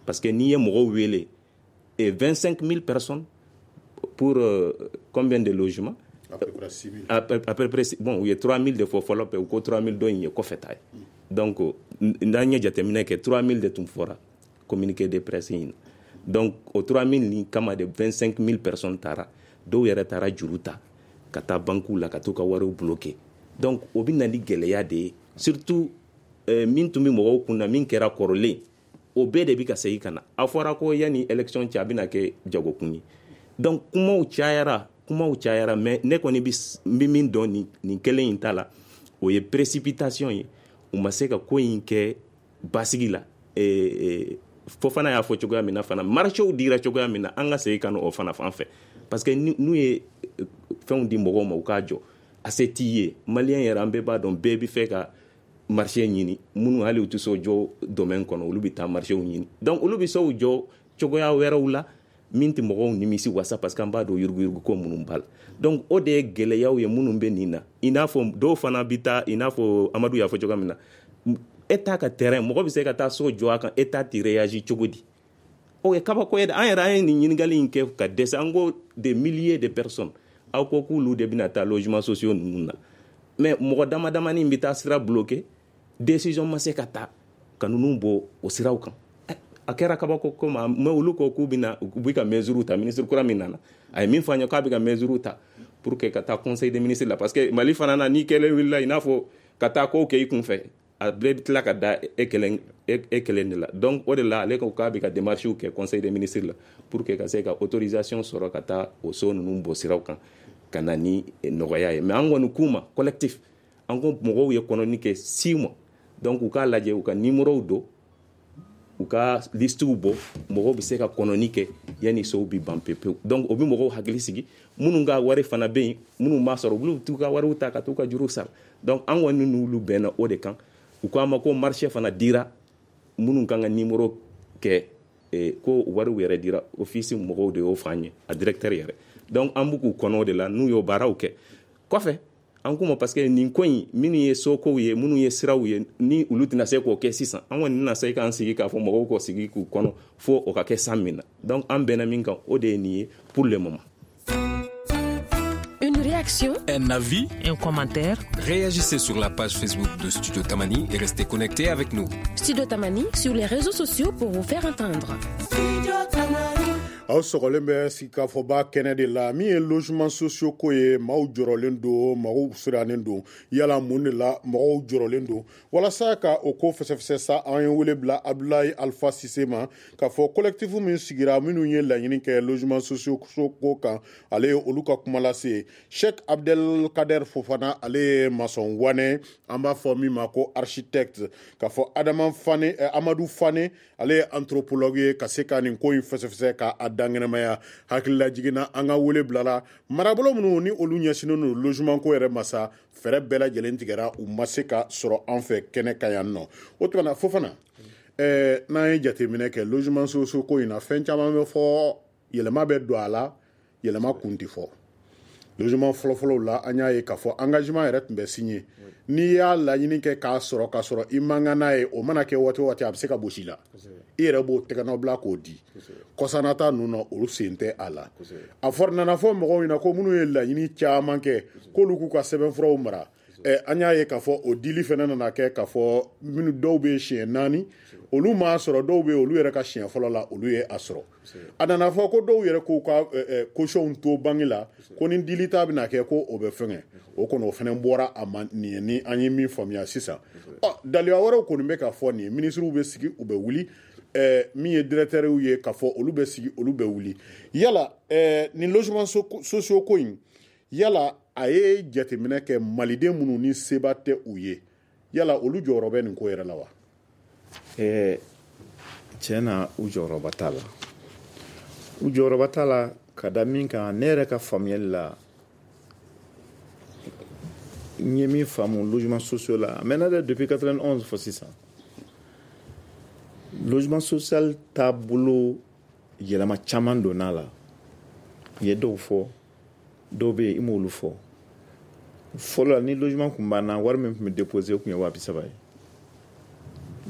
Speaker 5: parce que n'i ye mɔgɔw wele et 25 000 personnes pour combien de logements?
Speaker 4: À peu près 6 000.
Speaker 5: À peu près, bon, u ye 3 000 de fɔ fɔlɔ, u ko 3 000 dɔ in ye kɔfɛ ta ye. Donc n'an ye jateminɛ kɛ, 3 000 de tun fɔra communiqué de presse in na. Donc o 3 000 nin kama de, 25 000 personnes taara, dɔw yɛrɛ taara juru ta ka taa banques la ka t'u ka wariw bloquer. Donc o bɛ na ni gɛlɛya de ye, surtout min tun bɛ mɔgɔw kun na, min kɛra kɔrɔlen, o bɛɛ de bɛ ka segin ka na. A fɔra ko yanni élection cɛ, a bɛna kɛ jagokun ye. Donc kumaw cayara, kumaw cayara, mais ne kɔni bɛ min dɔn nin kelen in ta la, o ye précipitation ye. U ma se ka ko in kɛ basigi la. Fofana y'a fɔ cogoya min na fana, marchéw dira cogoya min na, an ka segin ka na o fana fan fɛ, parce que n'u ye fɛnw di mɔgɔw ma u k'a jɔ, a se t'i ye. Maliyɛn yɛrɛ, an bɛɛ b'a dɔn, bɛɛ bɛ fɛ ka marché ɲini. Minnu hali u tɛ so jɔ domaine kɔnɔ, olu bɛ taa marchéw ɲini. Donc olu bɛ sow jɔ cogoya wɛrɛw la min tɛ mɔgɔw nimisi wasa, parce que an b'a dɔn yuruguyurugu ko minnu b'a la. Donc o de ye gɛlɛyaw ye minnu bɛ nin na. I n'a fɔ dɔw fana bɛ taa, i n'a fɔ Amadu y'a fɔ cogoya min na, État ka terrain, mɔgɔ bɛ se ka taa so jɔ a kan, État tɛ réagir cogo di? O ye kabako ye dɛ. An yɛrɛ, an ye nin ɲininkali in kɛ ka dɛsɛ. An ko des milliers de personnes, aw ko k'olu de bɛna taa logement sociaux ninnu na, mais mɔgɔ dama damani bɛ taa sira bloqué, décision ma se ka ta ka ninnu bɔ o siraw kan. A kɛra kabako ko ma, mais olu ko k'u bɛna, u bɛ ka mesure ta. Ministre kura min nana, a ye min fɔ an ye, k'a bɛ ka mesure ta pour que ka taa conseil des ministres la, parce que Mali fana na, n'i kɛlen wulila, i n'a fɔ ka taa kow kɛ i kun fɛ, a bɛɛ bɛ tila ka da e kelen, e kelen de la. Donc o de la, ale ko k'a bɛ ka démarches kɛ conseil des ministres la pour que ka se ka autorisation sɔrɔ ka taa o so ninnu bɔ siraw kan ka na ni nɔgɔya ye. Mais an kɔni k'u ma, collectif, an ko mɔgɔw ye kɔnɔni kɛ 6 mois, donc u k'a lajɛ, u ka numéro don, u ka listew bɔ, mɔgɔw bɛ se ka kɔnɔni kɛ yanni sow bɛ ban pewu. Donc o bɛ mɔgɔw hakili sigi. Minnu ka wari fana bɛ yen, minnu m'a sɔrɔ, olu t'u ka wariw ta ka t'u ka juruw sara. Donc an kɔni n'olu bɛnna o de kan. U ko an ma ko marché fana dira minnu kan ka numéro kɛ, ko wariw yɛrɛ dira, office mɔgɔw de y'o fɔ an ye, a directeur yɛrɛ. Donc an b'u k'u kɔnɔ o de la, n'u y'o baaraw kɛ kɔfɛ, an k'u ma, parce que nin ko in, minnu ye sokow ye, minnu ye siraw ye, ni olu tɛna se k'o kɛ sisan, an kɔni tɛna se k'an sigi k'a fɔ mɔgɔw k'o sigi k'u kɔnɔ fo o ka kɛ san min na. Donc an bɛnna min kan, o de ye nin ye pour le moment.
Speaker 8: Une réaction,
Speaker 2: un avis,
Speaker 1: un commentaire.
Speaker 9: Réagissez sur la page Facebook de Studio Tamani et restez connectés avec nous.
Speaker 8: Studio Tamani sur les réseaux sociaux pour vous faire entendre.
Speaker 10: Studio Tamani.
Speaker 4: Aw sɔgɔlen bɛ sigikafɔba kɛnɛ de la. Min ye logement sociaux ko ye, maaw jɔrɔlen don, maaw sirannen don. Yala mun de la mɔgɔw jɔrɔlen don? Walasa ka o ko fɛsɛfɛsɛ sa, an ye wele bila Abdoulaye Alpha Cissé ma, k'a fɔ collectif min sigira, minnu ye laɲini kɛ logement sociaux ko kan, ale ye olu ka kuma lase. Sheikh Abdelkader Fofana, ale ye maçon wane, an b'a fɔ min ma ko architecte. K'a fɔ Adama Fane, Amadou Fane, ale ye anthropologue ye, ka se ka nin ko in fɛsɛfɛsɛ k'a dankɛnɛmaya. Hakilila jiginna, an ka wele bilala marabolo minnu ni olu ɲɛsinnen don logement ko yɛrɛ ma sa, fɛɛrɛ bɛɛ lajɛlen tigɛra, u ma se ka sɔrɔ an fɛ kɛnɛ kan yan nɔ. O tuma na, Fofana, n'an ye jateminɛ kɛ logement sociaux ko in na, fɛn caman bɛ fɔ, yɛlɛma bɛ don a la, yɛlɛma kun tɛ fɔ. Logement fɔlɔfɔlɔw la, an y'a ye k'a fɔ engagement yɛrɛ tun bɛ signé. N'i y'a laɲini kɛ k'a sɔrɔ, k'a sɔrɔ i man kan n'a ye, o mana kɛ waati o waati, a bɛ se ka gosi la, i yɛrɛ b'o tɛgɛnɔ bila k'o di. Kɔsanata ninnu na, olu sen tɛ a la. A fɔra, nana fɔ mɔgɔw ɲɛna ko minnu ye laɲini caman kɛ, k'olu k'u ka sɛbɛnfuraw mara. An y'a ye k'a fɔ o dili fana nana kɛ k'a fɔ minnu dɔw bɛ siɲɛ 4, olu m'a sɔrɔ, dɔw bɛ olu yɛrɛ ka siɲɛ fɔlɔ la, olu ye a sɔrɔ. A nana fɔ ko dɔw yɛrɛ k'u ka caution to banque la, ko ni dili ta bɛna kɛ, ko o bɛ fɛngɛ o kɔni, o fana bɔra a ma. Nin ye ni an ye min faamuya sisan. Ɔ, daliya wɛrɛw kɔni bɛ ka fɔ nin ye, minisiriw bɛ sigi, u bɛ wuli, min ye directeurs ye, k'a fɔ olu bɛ sigi, olu bɛ wuli. Yala nin logement sociaux ko in, yala a ye jateminɛ kɛ maliden minnu ni seba tɛ u ye, yala olu jɔyɔrɔ bɛ nin ko yɛrɛ la wa?
Speaker 3: Tiɲɛ na, u jɔyɔrɔba t'a la. U jɔyɔrɔba t'a la ka da min kan, ne yɛrɛ ka faamuyali la, n ye min faamu logement sociaux la, a mɛnna dɛ, depuis 91 fo sisan, logement social taabolo yɛlɛma caman donna la. I ye dɔw fɔ, dɔw bɛ yen i m'olu fɔ. Fɔlɔ la, ni logement kun banna, wari min tun bɛ déposer, o tun ye 30 000 ye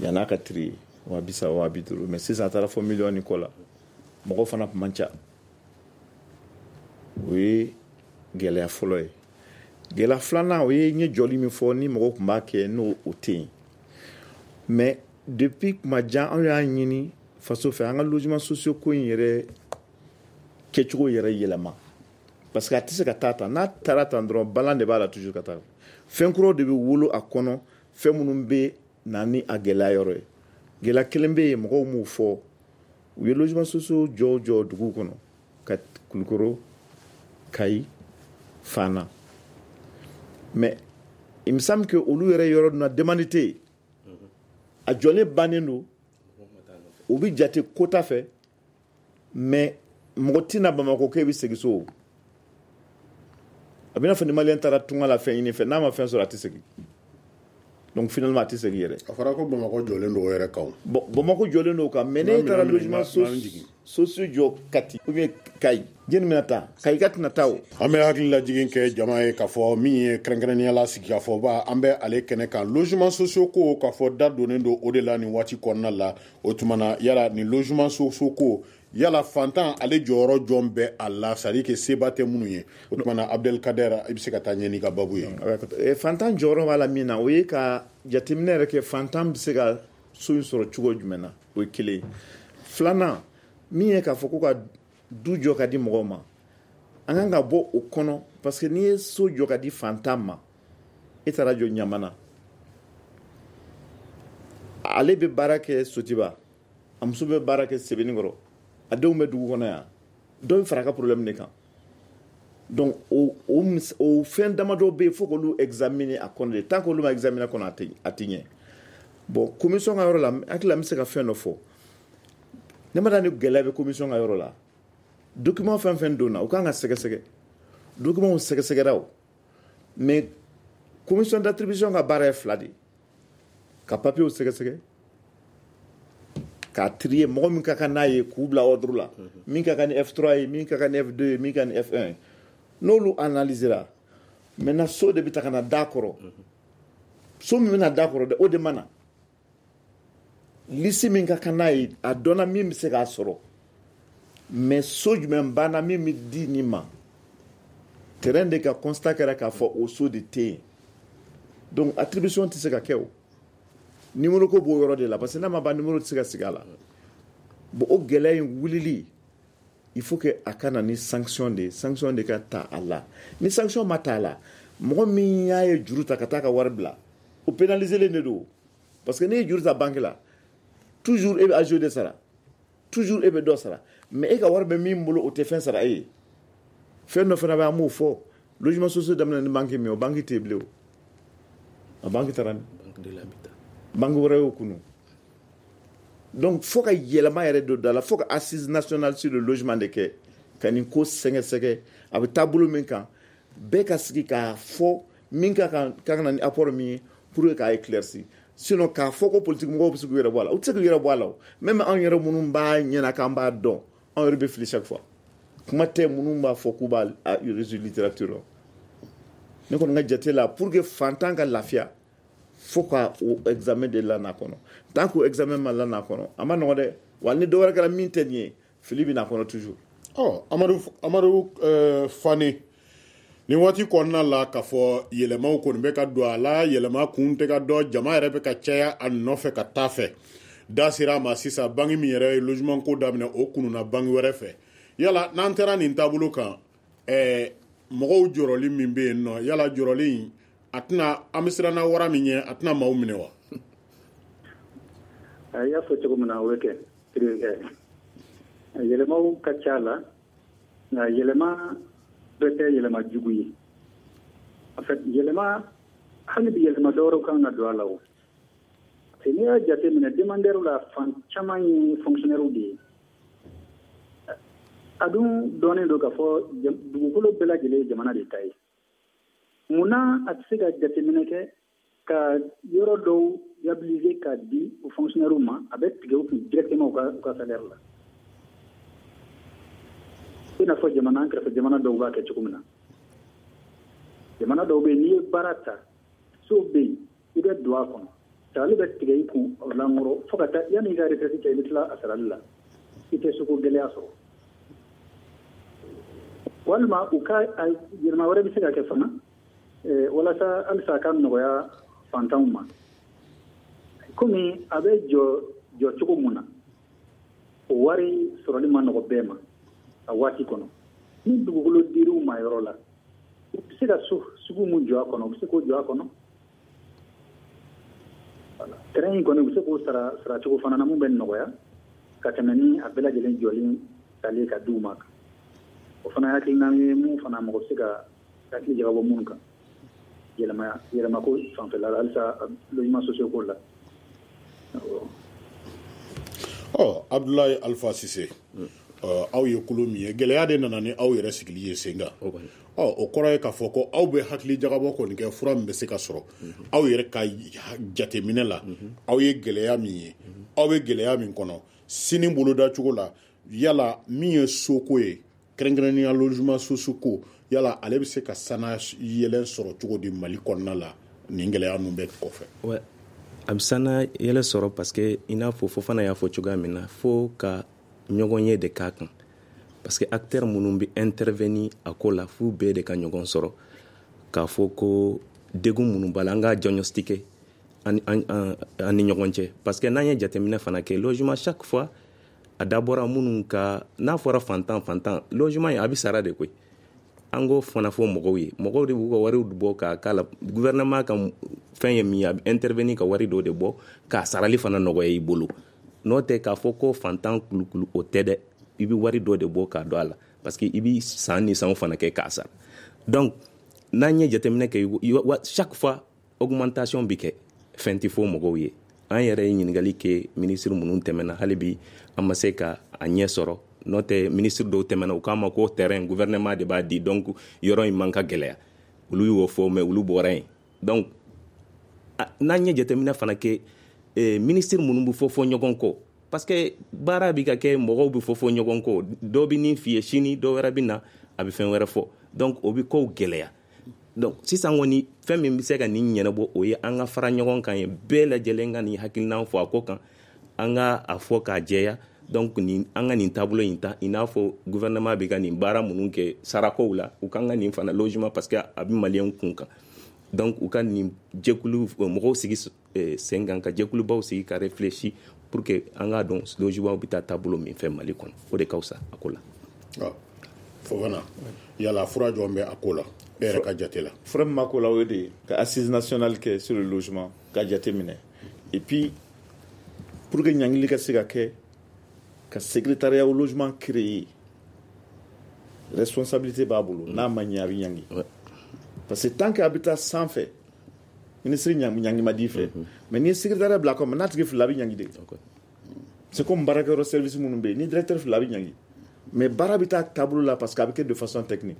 Speaker 3: yann'a ka trier, 30 000, 50 000. Mais sisan a taara fɔ miliyɔn ni kɔ la, mɔgɔw fana tun man ca. O ye gɛlɛya fɔlɔ ye. Gɛlɛya filanan, o ye n ye jɔli min fɔ, ni mɔgɔw tun b'a kɛ, n'o o tɛ yen. Mais depuis kuma jan, anw y'a ɲini faso fɛ, an ka logement sociaux ko in yɛrɛ kɛcogo yɛrɛ yɛlɛma, parce que a tɛ se ka taa tan. N'a taara tan dɔrɔn, balan de b'a la toujours ka taa. Fɛn kuraw de bɛ wolo a kɔnɔ, fɛn minnu bɛ na ni a gɛlɛya yɔrɔ ye. Gɛlɛya kelen bɛ yen, mɔgɔw m'o fɔ. U ye logement sociaux jɔ jɔ duguw kɔnɔ, ka Kulukoro, Kayi, Fana, mais il me semble que olu yɛrɛ yɔrɔ na demande tɛ yen. A jɔlen bannen don. O bɛ jate quota fɛ, mais mɔgɔ tɛna Bamakɔ k'e bɛ segin so. A bɛ n'a fɔ ni maliyɛn taara tunga la fɛn ɲini fɛ, n'a ma fɛn sɔrɔ, a tɛ segin. Donc finalement, a tɛ segin yɛrɛ.
Speaker 4: A fɔra ko Bamakɔ jɔlen don o yɛrɛ kan.
Speaker 3: Bon, Bamakɔ jɔlen don o kan, mais n'e taara logement sociaux jɔ Kati ou bien Kayi, jɛni bɛna taa? Kayi ka tɛna taa o.
Speaker 4: An bɛ hakili lajigin kɛ jama ye k'a fɔ min ye kɛrɛnkɛrɛnnenya la sigikafɔba, an bɛ ale kɛnɛ kan, logement sociaux ko, k'a fɔ da donnen don o de la nin waati kɔnɔna la. O tuma na, yala nin logement sociaux ko, yala fantan ale jɔyɔrɔ jɔn bɛ a la, c'est à dire que seba tɛ minnu ye? O tuma na, Abdelkader, i bɛ se ka taa ɲɛ n'i ka babu
Speaker 3: ye. Fantan jɔyɔrɔ b'a la min na, o ye ka jateminɛ yɛrɛ kɛ, fantan bɛ se ka so in sɔrɔ cogo jumɛn na, o ye kelen ye. Filanan min ye k'a fɔ ko ka du jɔ ka di mɔgɔw ma, an kan ka bɔ o kɔnɔ, parce que n'i ye so jɔ ka di fantan ma, e taara jɔ Ɲamana, ale bɛ baara kɛ Sotiba, a muso bɛ baara kɛ Sebenikɔrɔ, a denw bɛ dugu kɔnɔ yan, dɔ bɛ fara a ka problème de kan. Donc o fɛn damadɔ bɛ yen, fo k'olu examiner a kɔnɔ de. Tant qu'olu ma examiner a kɔnɔ, a tɛ ɲɛ. Bon, commission ka yɔrɔ la, hakili la, n bɛ se ka fɛn dɔ fɔ. Ne ma da ni gɛlɛya bɛ commission ka yɔrɔ la. Document fɛn fɛn donna, u kan ka sɛgɛsɛgɛ. Document sɛgɛsɛgɛra o, mais commission d'attribution ka baara ye fila de ye: ka papiers sɛgɛsɛgɛ, k'a trier, mɔgɔ min ka kan n'a ye k'u bila ordre la, min ka kan ni F3 ye, min ka kan ni F2 ye, min ka kan ni F1 ye. N'olu analysera, maintenant so de bɛ ta ka na d'a kɔrɔ. So min bɛna d'a kɔrɔ dɛ, o de ma na liste min ka kan n'a ye, a dɔnna min bɛ se k'a sɔrɔ, mais so jumɛn banna min bɛ di nin ma, terrain de ka constat kɛra k'a fɔ o so de tɛ yen. Donc attribution tɛ se ka kɛ. O numéro ko b'o yɔrɔ de la, parce que n'a ma ban, numéro tɛ se ka sigi a la. Bon, o gɛlɛya in wulili, il faut que a ka na ni sanction de ye, sanction de ka ta a la. Ni sanction ma ta a la, mɔgɔ min y'a ye juru ta ka taa ka wari bila, o pénaliser len de don, parce que n'i ye juru ta banque la, toujours e bɛ agio de sara, toujours e bɛ dɔ sara, mais e ka wari bɛ min bolo, o tɛ fɛn sara e ye. Fɛn dɔ fana bɛ, an b'o fɔ: logement social daminɛ ni banque min ye, o banque tɛ yen bilen. O a banque taara ni banque wɛrɛ y'o kunu. Donc fo ka yɛlɛma yɛrɛ don da la, fo ka assise nationale sur le logement de kɛ ka nin ko sɛgɛsɛgɛ, a bɛ taabolo min kan, bɛɛ ka sigi k'a fɔ min ka kan ka na ni apport min ye pour que k'a éclaircir. Sinon k'a fɔ ko politique mɔgɔw bɛ se k'u yɛrɛ bɔ a la, u tɛ se k'u yɛrɛ bɔ a la. O même anw yɛrɛ minnu b'a ɲɛna k'an b'a dɔn, anw yɛrɛ bɛ fili chaque fois, kuma tɛ minnu b'a fɔ k'u b'a résoudre littérature la. Ne kɔni ka jate la, pour que fantan ka lafiya, fo ka o examen de lana kɔnɔ. Tant que o examen ma lana kɔnɔ, a ma nɔgɔ dɛ. Wa ni dɔ wɛrɛ kɛra min tɛ nin ye, fili bɛ na kɔnɔ toujours.
Speaker 4: Ɔ, Amadu Fane, nin waati kɔnɔna la, k'a fɔ yɛlɛmaw kɔni bɛ ka don a la, yɛlɛma kun tɛ ka dɔn, jama yɛrɛ bɛ ka caya a nɔfɛ ka taa fɛ. Da sera a ma sisan, banque min yɛrɛ ye logement ko daminɛ, o kununa banque wɛrɛ fɛ. Yala n'an taara nin taabolo kan, mɔgɔw jɔrɔli min bɛ yen nɔ, yala jɔrɔli in a tɛna, an bɛ siran na wara min ɲɛ, a tɛna maaw minɛ wa?
Speaker 7: I y'a fɔ cogo min na, o bɛ kɛ. Yɛlɛmaw ka ca la, nka yɛlɛma bɛɛ tɛ yɛlɛma jugu ye. En fait, yɛlɛma, hali bi yɛlɛma dɔwɛrɛw kan ka don a la. O parce que n'i y'a jateminɛ, demandeur la, fan caman ye fonctionnaire de ye. A dun dɔnnen don k'a fɔ dugukolo bɛɛ lajɛlen ye jamana de ta ye. Munna a tɛ se ka jateminɛ kɛ ka yɔrɔ dɔw viabiliser ka di o fonctionnaire ma, a bɛ tigɛ u kun directement u ka salaire la, i n'a fɔ jamana an kɛrɛfɛ jamana dɔw b'a kɛ cogo min na? Jamana dɔw bɛ yen, n'i ye baara ta, so bɛ yen, i bɛ don a kɔnɔ, sarali bɛ tigɛ i kun o lankɔrɔ fo ka taa yanni i ka retraite cɛ, i bɛ tila a sarali la, i tɛ soko gɛlɛya sɔrɔ. Walima u ka yɛlɛma wɛrɛ bɛ se ka kɛ fana walasa halisa a ka nɔgɔya fantanw ma, komi a bɛ jɔ jɔ cogo mun na, o wari sɔrɔli ma nɔgɔ bɛɛ ma a waati kɔnɔ. Ni dugukolo dir'u ma yɔrɔ la, u bɛ se ka so sugu mun jɔ a kɔnɔ, u bɛ se k'o jɔ a kɔnɔ. Terrain in kɔni, u bɛ se k'o sara saracogo fana na mun bɛ nɔgɔya ka tɛmɛ ni a bɛɛ lajɛlen jɔlen talen ka d'u ma. O fana hakilina ye mun fana mɔgɔ bɛ se ka hakili jagabɔ minnu kan yɛlɛma yɛlɛmako fanfɛla la, halisa logement sociaux ko la.
Speaker 4: Ɔ. Ɔ, Abdoulaye Alpha Cissé, aw ye kulu min ye, gɛlɛya de nana ni aw yɛrɛ sigili ye sen kan. Ɔ, o kɔrɔ ye k'a fɔ ko aw bɛ hakili jagabɔ kɔni kɛ fura min bɛ se ka sɔrɔ aw yɛrɛ ka jateminɛ la. Aw ye gɛlɛya min ye, aw bɛ gɛlɛya min kɔnɔ sini boloda cogo la, yala min ye soko ye, kɛrɛnkɛrɛnnenya logement sociaux ko, yala ale bɛ se ka sana yɛlɛn sɔrɔ cogo di Mali kɔnɔna la nin gɛlɛya ninnu bɛɛ kɔfɛ?
Speaker 5: Ouais. A bɛ sana yɛlɛ sɔrɔ parce que i n'a fɔ Fofana y'a fɔ cogoya min na, fo ka ɲɔgɔn ye de k'a kan, parce que acteur minnu bɛ intervenir a ko la, f'u bɛɛ de ka ɲɔgɔn sɔrɔ k'a fɔ ko degun minnu b'a la, an k'a diagnostiquer an ni ɲɔgɔn cɛ. Parce que n'an ye jateminɛ fana kɛ, logement, chaque fois a dabɔra minnu ka, n'a fɔra fantan fantan, logement a bɛ sara de koyi. An k'o fana fɔ mɔgɔw ye, mɔgɔw de b'u ka wariw bɔ k'a k'a la. Gouvernement ka fɛn ye min ye, a bɛ intervenir ka wari dɔw de bɔ k'a sarali fana nɔgɔya i bolo. N'o tɛ k'a fɔ ko fantan kulukulu, o tɛ dɛ. I bɛ wari dɔ de bɔ k'a don a la, parce que i bɛ san ni sanw fana kɛ k'a sara. Donc n'an ye jateminɛ kɛ, chaque fois augmentation bɛ kɛ, fɛn tɛ fɔ mɔgɔw ye. An yɛrɛ ye ɲininkali kɛ ministre minnu tɛmɛna, hali bi an ma se ka a ɲɛ sɔrɔ. N'o tɛ, ministre dɔw tɛmɛna, u k'a ma ko terrain, gouvernement de b'a di, donc yɔrɔ in man ka gɛlɛya. Olu y'o fɔ, mais olu bɔra yen. Donc n'an ye jateminɛ fana kɛ, ministre minnu bɛ fɔ fɔ ɲɔgɔn kɔ, parce que baara bɛ ka kɛ, mɔgɔw bɛ fɔ fɔ ɲɔgɔn kɔ, dɔ bɛ nin f'i ye sini, dɔ wɛrɛ bɛ na, a bɛ fɛn wɛrɛ fɔ, donc o bɛ kow gɛlɛya. Donc sisan kɔni, fɛn min bɛ se ka nin ɲɛnabɔ, o ye an ka fara ɲɔgɔn kan ye, bɛɛ lajɛlen ka nin hakilina fɔ a ko kan, an ka a fɔ k'a jɛya. Donc nin, an ka nin taabolo in ta, i n'a fɔ gouvernement bɛ ka nin baara minnu kɛ sarakow la, u kan ka nin fana logement, parce que a bɛ maliyɛn kun kan. Donc u ka nin jɛkulu mɔgɔw sigi sen kan, ka jɛkulubaw sigi ka réfléchir pour que an k'a dɔn logement bɛ taa taabolo min fɛ Mali kɔnɔ. O de ka fisa a ko la.
Speaker 4: Fofana, yala fura jɔn bɛ a ko la e yɛrɛ ka jate la?
Speaker 3: Fura min b'a ko la, o ye de ye ka assise nationale kɛ sur le logement, ka jate minɛ, et puis pour que ɲangili ka se ka kɛ, ka secrétariat au logement créer. Responsabilité b'a bolo, n'a ma ɲɛ, a bɛ ɲangi, parce que tant que a bɛ taa sanfɛ, ministre ɲangi ma di fɛ. Mais n'i ye secrétariat bila a kɔnɔ, n'a tigi filila, a bɛ ɲangi de. C'est comme baarakɛyɔrɔ service minnu bɛ yen, ni directeur filila, a bɛ ɲangi, mais baara bɛ taa taabolo la, parce que a bɛ kɛ de façon technique.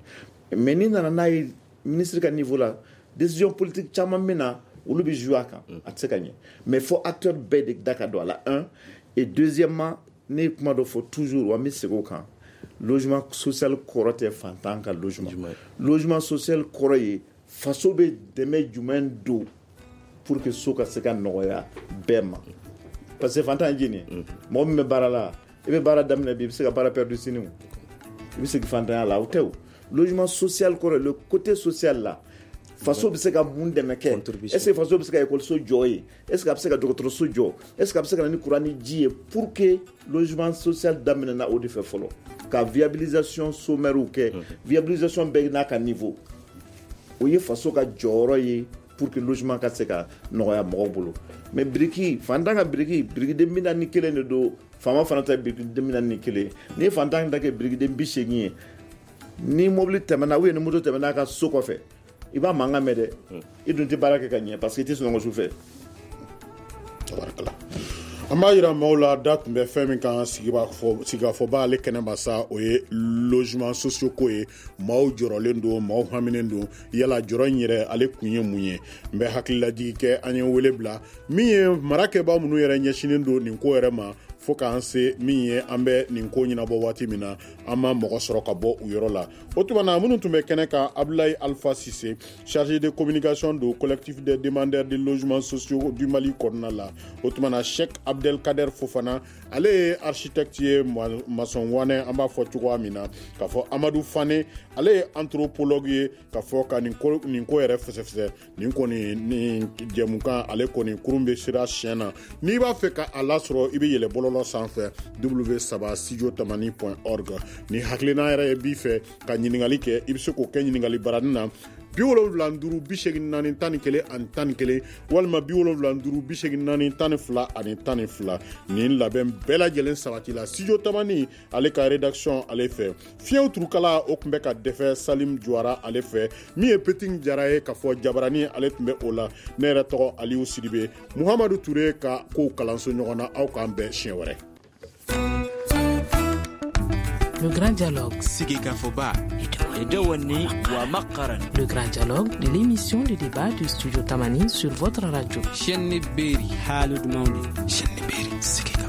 Speaker 3: Mais n'i nana n'a ye ministre ka niveau la, décision politique caman bɛ na, olu bɛ jouer a kan, a tɛ se ka ɲɛ. Mais fo acteur bɛɛ de da ka don a la, un. Et deuxièmement, ne ye kuma dɔ fɔ toujours, wa n bɛ segin o kan: logement social kɔrɔ tɛ fantan ka logement. Logement social kɔrɔ ye faso bɛ dɛmɛ jumɛn don pour que so ka se ka nɔgɔya bɛɛ ma. Parce que fantan ye jɛni ye? Mɔgɔ min bɛ baara la, i bɛ baara daminɛ bi, i bɛ se ka baara perdu sini, o i bɛ segin fantanya la, o tɛ. O logement social kɔrɔ, le côté social la, faso bɛ se ka mun dɛmɛ kɛ? Est ce que faso bɛ se ka ekɔliso jɔ ye? Est ce que a bɛ se ka dɔgɔtɔrɔso jɔ? Est ce que a bɛ se ka na ni courant ni ji ye? Pour que logement social daminɛna o de fɛ fɔlɔ, ka viabilisation sommaire kɛ, viabilisation bɛɛ n'a ka niveau, o ye faso ka jɔyɔrɔ ye pour que logement ka se ka nɔgɔya mɔgɔw bolo. Mais biriki, fantan ka biriki, birikiden 41 de don, faama fana ta ye birikiden 41. N'i ye fantan ta kɛ birikiden 80 ye, ni mobili tɛmɛna ou bien ni moto tɛmɛna a ka so kɔfɛ, i b'a mankan mɛn dɛ. I dun tɛ baara kɛ ka ɲɛ, parce que i tɛ sunɔgɔ su fɛ.
Speaker 4: Tabarakala, an b'a yira maaw la, da tun bɛ fɛn min kan sigikafɔba ale kɛnɛma sa, o ye logement sociaux ko ye. Maaw jɔrɔlen don, maaw haminen don. Yala jɔrɔ in yɛrɛ ale kun ye mun ye? N bɛ hakililajigi kɛ, an ye wele bila min ye marakɛbaa minnu yɛrɛ ɲɛsinnen don nin ko yɛrɛ ma, fo k'an se min ye an bɛ nin ko ɲɛnabɔ waati min na, an ma mɔgɔ sɔrɔ ka bɔ u yɔrɔ la. O tuma na, minnu tun bɛ kɛnɛ kan, Abdoulaye Alpha Cissé, chargé de communication do collectif des demandeurs de logements sociaux du Mali kɔnɔna la. O tuma na, Cheikh Abdelkader Fofana, ale ye architecte ye, maçon wanɛ an b'a fɔ cogoya min na, k'a fɔ Amadou Fane, ale ye anthropologue ye, k'a fɔ ka nin ko yɛrɛ fɛsɛfɛsɛ. Nin kɔni, nin jɛmukan ale kɔni kurun bɛ sira siɲɛ na. N'i b'a fɛ ka a lasɔrɔ, i bɛ yɛlɛ bɔlɔlɔ sanfɛ, w3studiotamani.org. Ni hakilina yɛrɛ ye b'i fɛ ka ɲininkali kɛ, i bɛ se k'o kɛ ɲininkali baranin na, 75 84 11 11, walima 75 84 12 12. Nin labɛn bɛɛ lajɛlen sabati la Studio Tamani ale ka rédaction ale fɛ. Fiɲɛw turukala, o tun bɛ ka dɛfɛ Salim Juwara ale fɛ. Min ye Petit Jara ye, k'a fɔ Jabarani ale tun bɛ o la. Ne yɛrɛ tɔgɔ Aliou Sidibe, Muhamadu Ture ka kow kalanso ɲɔgɔn na. Aw k'an bɛn siɲɛ wɛrɛ.
Speaker 1: Le Grand Dialogue.
Speaker 2: Sigikafɔba.
Speaker 1: Le Grand Dialogue, l'émission de débat du Studio Tamani sur votre radio.
Speaker 2: Chaîne Beri. Chaîne Beri.